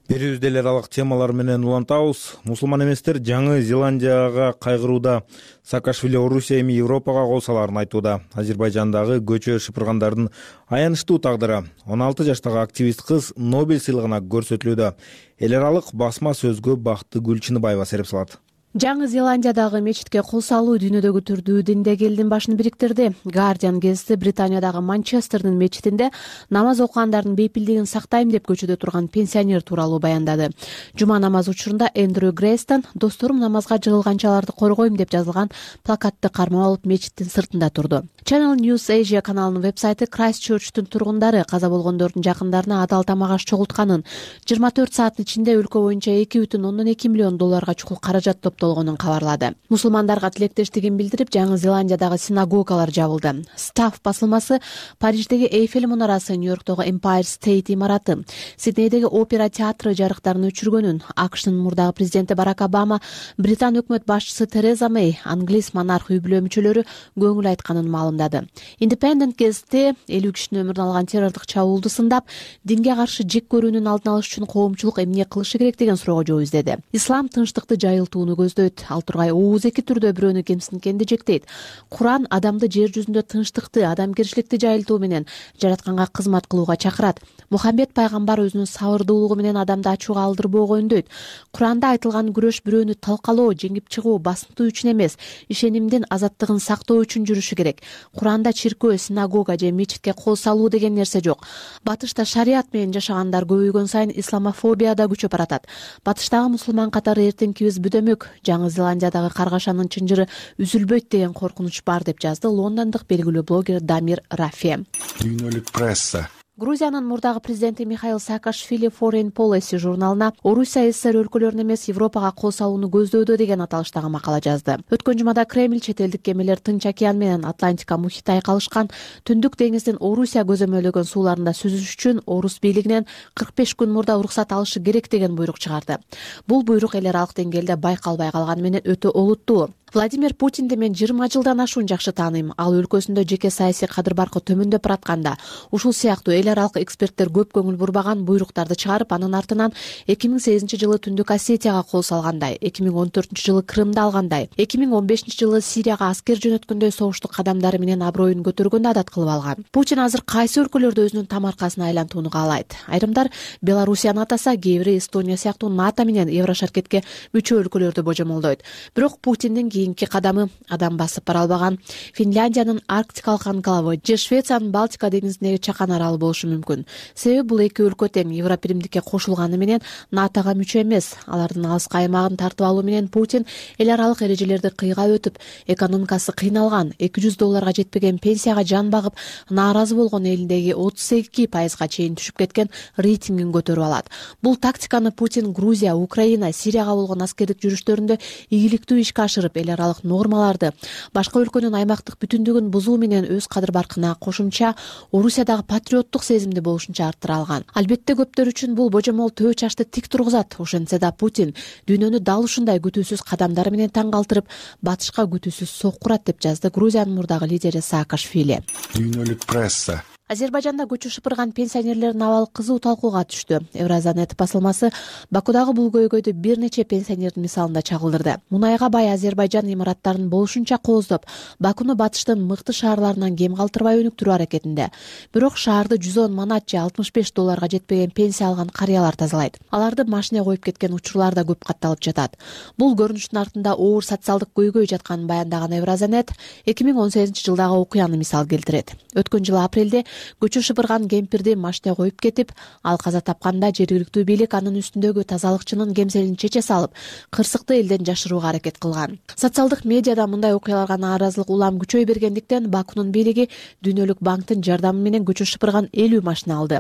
S1: Берүүбүздө эле аралык темалар менен улантабыз. Мусулман эместер Жаңы Зеландияга кайгырууда. Саакашвили Орусия эми Европага кол салаарын айтууда. Азербайжандагы көчө шыпыргандардын аянычтуу тагдыры. 16 жаштагы активист кыз Нобель сыйлыгына көрсөтүлүүдө. Эл аралык басма сөзгө Бактыгүл Чыныбаева сереп салат.
S8: Жаңы Зеландиядагы мечитке кол салуу дүйнөдөгү түрдүү динде элдин башын бириктирди. Guardian гезити Британиядагы Манчестердин мечитинде намаз окугандардын бейпилдигин сактайм деп көчөдө турган пенсионер тууралуу баяндады. Жума намазы учурунда Эндрю Грейстон досторум намазга жыгылганчаларды коргойм деп жазылган плакатты кармап алып мечиттин сыртында турду. Channel News Asia каналынын вебсайты Крайстчерчтун тургундары каза болгондордун жакындарына адал тамак аш чогултканын, 24 сааттын ичинде өлкө боюнча $2,2 миллион чукул каражат топтолгонун кабарлады. Мусулмандарга тилектештигин билдирип, Жаңы Зеландиядагы синагогалар жабылды. Staff басылмасы Париждеги Эйфель мунарасы, Нью-Йорктогу Empire State имараты, Сиднейдеги опера театры жарыктарын өчүргөнүн, AQShnын мурдагы президенти Барак Обама, Британ өкмөт башчысы Тереза Мэй, англис монарх үй бүлө мүчөлөрү көңүл айтканын маалымдады. Independent гезити 50 кишинин өмүрүн алган террордук чабуулду сындап, динге каршы жек көрүүнүн алдын алыш үчүн коомчулук эмне кылышы керек деген суроого жооп издеди. Ислам тынчтыкты жайылтууну көздөйт. Ал тургай ооз эки түрдө бирөөнү кемсинткенди жектейт. Куран адамды жер жүзүндө тынчтыкты, адамгерчиликти жайылтуу менен жаратканга кызмат кылууга чакырат. Мухаммед пайгамбар өзүнүн сабырдуулугу менен адамды ачууга алдырбоого үндөйт. Куранда айтылган күрөш бирөөнү талкалоо, жеңип чыгуу, басынтуу үчүн эмес, ишенимдин азаттыгын сактоо үчүн жүрүшү керек. Куранда чиркөө, синагога же мечитке кол салуу деген нерсе жок. Батышта шарият менен жашагандар көбөйгөн сайын исламофобия да күчөп баратат. Батыштагы мусулман катары эртеңкибиз бүдөмөк. Жаңы Зеландиядагы каргашанын чынжыры үзүлбөйт деген коркунуч бар деп жазды лондондук белгилүү блогер Дамир Рафе.
S23: Дүйнөлүк пресса.
S8: Грузиянын мурдагы президенти Михаил Саакашвили Foreign Policy журналына Орусия СССР өлкөлөрүнө эмес Европага кол салууну көздөйдө деген аталыштагы макала жазды. Өткөн жумада Кремль чет элдик кемелер Тынч океан менен Атлантика мухитте айкалышкан Түндүк деңиздин Орусия көзөмөлдөгөн сууларында сүзүш үчүн орус бийлигинен 45 күн мурда уруксат алышы керек деген буйрук чыгарды. Бул буйрук эл аралык деңгээлде байкалбай калганы менен өтө олуттуу. Владимир Путинди мен 20 жылдан ашуун жакшы тааныйм. Ал өлкөсүндө жеке саясий кадыр-баркы төмөндөп баратканда, ушул сыяктуу эл аралык эксперттер көп көңүл бурбаган буйруктарды чыгарып, анын артынан 2008-жылы Түндүк Осетияга кол салгандай, 2014-жылы Крымды алгандай, 2015-жылы Сирияга аскер жөнөткөндөй согуштук кадамдары менен аброюн көтөргөндү адат кылып алган. Путин азыр кайсы өлкөлөрдө өзүнүн тамаркасына айлантууну каалайт? Айрымдар Белоруссияны атаса, кээ бири Эстония сыяктуу НАТО менен Еврошаркетке мүчө өлкөлөрдү божомолдойт. Бирок Путиндин кийинки кадамы адам басып бара албаган Финляндиянын арктикалык анклавы же Швециянын Балтика деңизиндеги чакан аралы болушу мүмкүн. Себеби бул эки өлкө тең Евробиримдикке кошулганы менен НАТОга мүчө эмес. Алардын алыскы аймагын тартып алуу менен Путин эл аралык эрежелерди кыйгап өтүп, экономикасы кыйналган, $200 жетпеген пенсияга жан багып, нааразы болгон элиндеги 32%га чейин түшүп кеткен рейтингин көтөрүп алат. Бул тактиканы Путин Грузия, Украина, Сирияга болгон аскердик жүрүштөрүндө ийгиликтүү ишке ашырып, эл аралык нормаларды, башка өлкөнүн аймактык бүтүндүгүн бузуу менен өз кадыр-баркына кошумча Орусиядагы патриоттук сезимди болушунча арттыра алган. Албетте көптөр үчүн бул божомол төө чачты тик тургузат. Ошентсе да Путин дүйнөнү дал ушундай күтүүсүз кадамдары менен таң калтырып, батышка күтүүсүз соккурат деп жазды Грузиянын мурдагы лидери Саакашвили.
S10: Дүйнөлүк пресса
S8: Азербайжанда көчү шыпырган пенсионерлердин абалы кызуу талкууга түштү. Евразанет басылмасы Бакудагы бул көйгөйдү бир нече пенсионердин мисалында чагылдырды. Мунайга бай Азербайжан имараттарын болушунча кооздоп, Бакуну батыштын мыкты шаарларынан кем калтырбай өнүктүрүү аракетинде. Бирок шаарды 110 манат же $65 жетпеген пенсия алган карыялар тазалайт. Аларды машине коюп кеткен учурлар да көп катталып жатат. Бул көрүнүштүн артында оор социалдык көйгөй жатканын баяндаган Евразанет 2018 жылдагы окуяны мисал келтирет. Өткөн жылы апрелде көчө шыпырган кемпирди машине коюп кетип, ал каза тапканда жергиликтүү бийлик анын үстүндөгү тазалыкчынын кемселин чече салып, кырсыкты элден жашырууга аракет кылган. Социалдык медиада мындай окуяларга нааразылык улам күчөй бергендиктен Бакунун бийлиги Дүйнөлүк банктын жардамы менен көчө шыпырган 50 машина алды.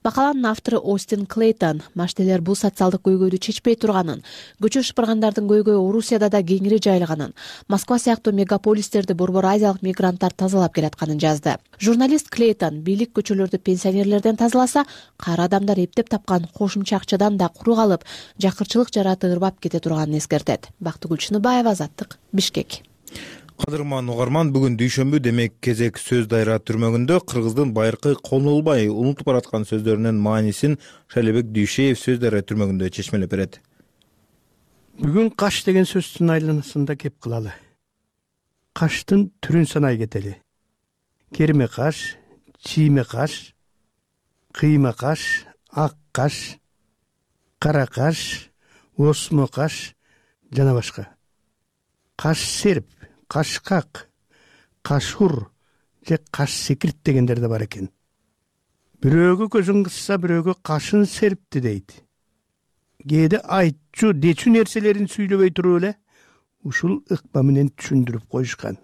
S8: Макаланын автору Остин Клейтон машинелер бул социалдык көйгөйдү чечпей турганын, көчө шыпыргандардын көйгөйү Орусияда да кеңири жайылганын, Москва сыяктуу мегаполистерди борбор азиялык мигранттар тазалап келатканын жазды. Журналист Клейтон бийлик көчөлөрдү пенсионерлерден тазаласа, кара адамдар эптеп тапкан кошумча акчадан да куру калып, жакырчылык жараты ырбап кете турганын эскертет. Бактыгүл Чыныбаева, Азаттык, Бишкек.
S1: Кадырман угарман, бүгүн дүйшөмбү, демек кезек сөз дайра түрмөгүндө кыргыздын байыркы колунулбай унутуп бараткан сөздөрүнүн маанисин Шайлебек Дүйшеев сөз дайра түрмөгүндө чечмелеп берет.
S11: Бүгүн каш деген сөздүн айланасында кеп кылалы. Каштын түрүн санай кетели. Керме каш, чийме каш, кыйма каш, ак каш, кара каш, осмо каш жана башка. Каш серп, кашкак, кашур же каш секирт дегендер да бар экен. Бирөөгө көзүн кысса, бирөөгө кашын серпти дейт. Кээде айтчу, дечү нерселерин сүйлөбөй туруп эле ушул ыкма менен түшүндүрүп коюшкан.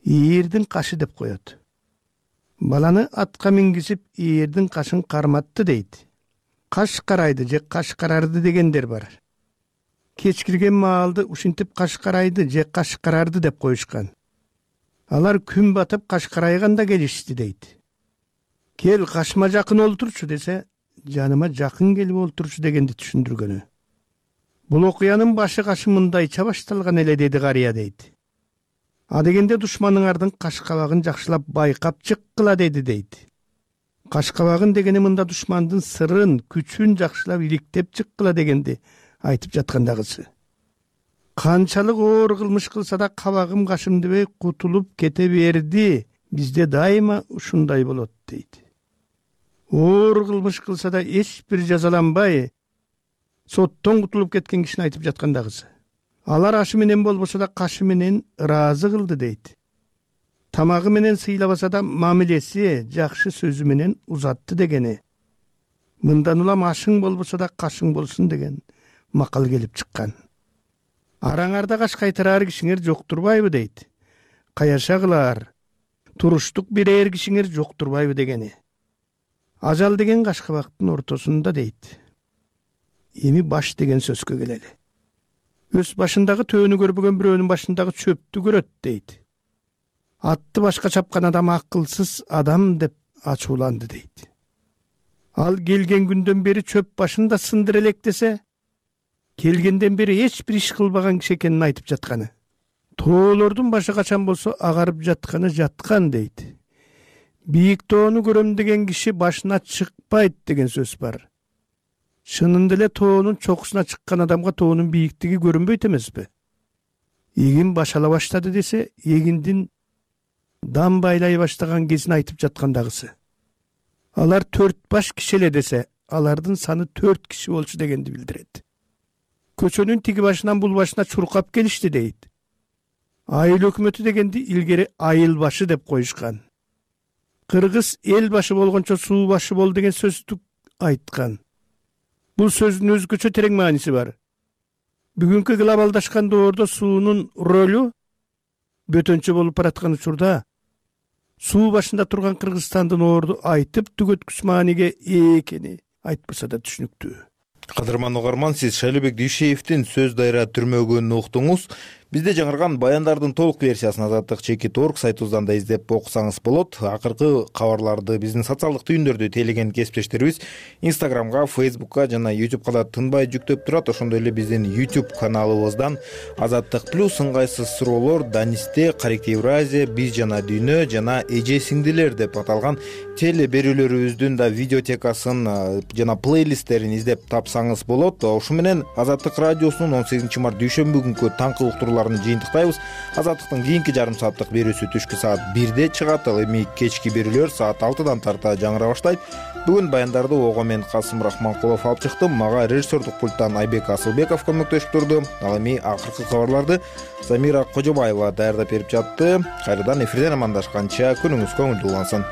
S11: Ийирдин кашы деп коет. Баланы атка мингизип, ийирдин кашын карматты дейт. Каш карайды же каш карарды дегендер бар. Кечкирген маалды ушинтип каш карайды же каш карарды деп коюшкан. Алар күн батып каш карайганда келишти дейт. Кел кашыма жакын олтурчу десе, жаныма жакын келип олтурчу дегенди түшүндүргөнү. Бул окуянын башы кашымындайча башталган эле деди карыя дейт. А дегенде душманыңардын каш кабагын жакшылап байкап чыккыла деди дейт. Каш кабагын дегени мында душмандын сырын, күчүн жакшылап иликтеп чыккыла дегенди айтып жаткандагысы. Канчалык оор кылмыш кылса да кабагым кашымдыбей кутулуп кете берди. Бизде дайыма ушундай болот дейт. Оор кылмыш кылса да эч бир жазаланбай, соттон кутулуп кеткен кишини айтып жаткандагысы. Алар ашы менен болбосо да кашы менен ыраазы кылды дейт. Тамагы менен сыйлабаса да мамилеси, жакшы сөзү менен узатты дегени. Мындан улам ашың болбосо да кашың болсун деген макал келип чыккан. Араңарда каш кайтарар кишиңер жоктурбайбы дейт. Каяша кылар, туруштук берер кишиңер жоктурбайбы дегени. Ажал деген каш кабактын ортосунда дейт. Эми баш деген сөзгө келели. Өз башындагы төөнү көрбөгөн бирөөнүн башындагы чөптү көрөт дейт. Атты башка чапкан адам акылсыз адам деп ачууланды дейт. Ал келген күндөн бери чөп башында сындыр элек десе, келгенден бери эч бир иш кылбаган киши экенин айтып жатканы. Тоолордун башы качан болсо агарып жатканы жаткан дейт. Бийик тоону көрөм деген киши башына чыкпайт деген сөз бар. Чынында эле тоонун чокусуна чыккан адамга тоонун бийиктиги көрүнбөйт эмеспи? Эгин баш ала баштады десе, эгиндин дам байлай баштаган кезин айтып жаткандагысы. Алар 4 баш киши эле десе, алардын саны 4 киши болчу дегенди билдирет. Көчөнүн тиги башынан бул башына чуркап келишти дейт. Айыл өкмөтү дегенди илгери айыл башы деп коюшкан. Кыргыз эл башы болгончо суу башы бол деген сөздү айткан. Бул сөздүн өзгөчө терең мааниси бар. Бүгүнкү глобалдашкан доордо суунун ролу бөтөнчө болуп бараткан учурда суу башында турган Кыргызстандын орду айтып түгөткүч мааниге ээ экени айтпаса да түшүнүктүү.
S1: Кадырман угарман, сиз Шайлообек Дүйшеевдин сөз дайра түрмөгүн уктуңуз. Бизде жаңырган баяндардын толук версиясын Азаттык.org сайтыбыздан да издеп окусаңыз болот. Акыркы кабарларды биздин социалдык түйүндөрдү тейлеген кесиптештерибиз Instagramга, Facebookка жана YouTubeга да тынбай жүктөп турат. Ошондой эле биздин YouTube каналыбыздан Азаттык плюс, ыңгайсыз суроолор, Данисте, Каректи Евразия, Биз жана Дүйнө жана Эже сиңдилер деп аталган теле берүүлөрүбүздүн да видеотекасын жана плейлисттерин издеп тапсаңыз болот. Ошо менен Азаттык радиосунун 18 март дүйшөмбү күнкү таңкы уктурууларын жыйынтыктайбыз. Азаттыктын кийинки жарым сааттык берүүсү түшкү саат 1де чыгат, ал эми кечки берүүлөр саат 6дан тарта жаңыра баштайт. Бүгүн баяндарды ого мен Касым Рахманкулов алып чыктым. Мага режиссердук пульттан Айбек Асылбеков көмөктөшүп турду. Ал эми акыркы кабарларды Замира Кожобаева даярдап берип жатты. Кайрадан эфирден амандашканча күнүңүз көңүлдүү улансын.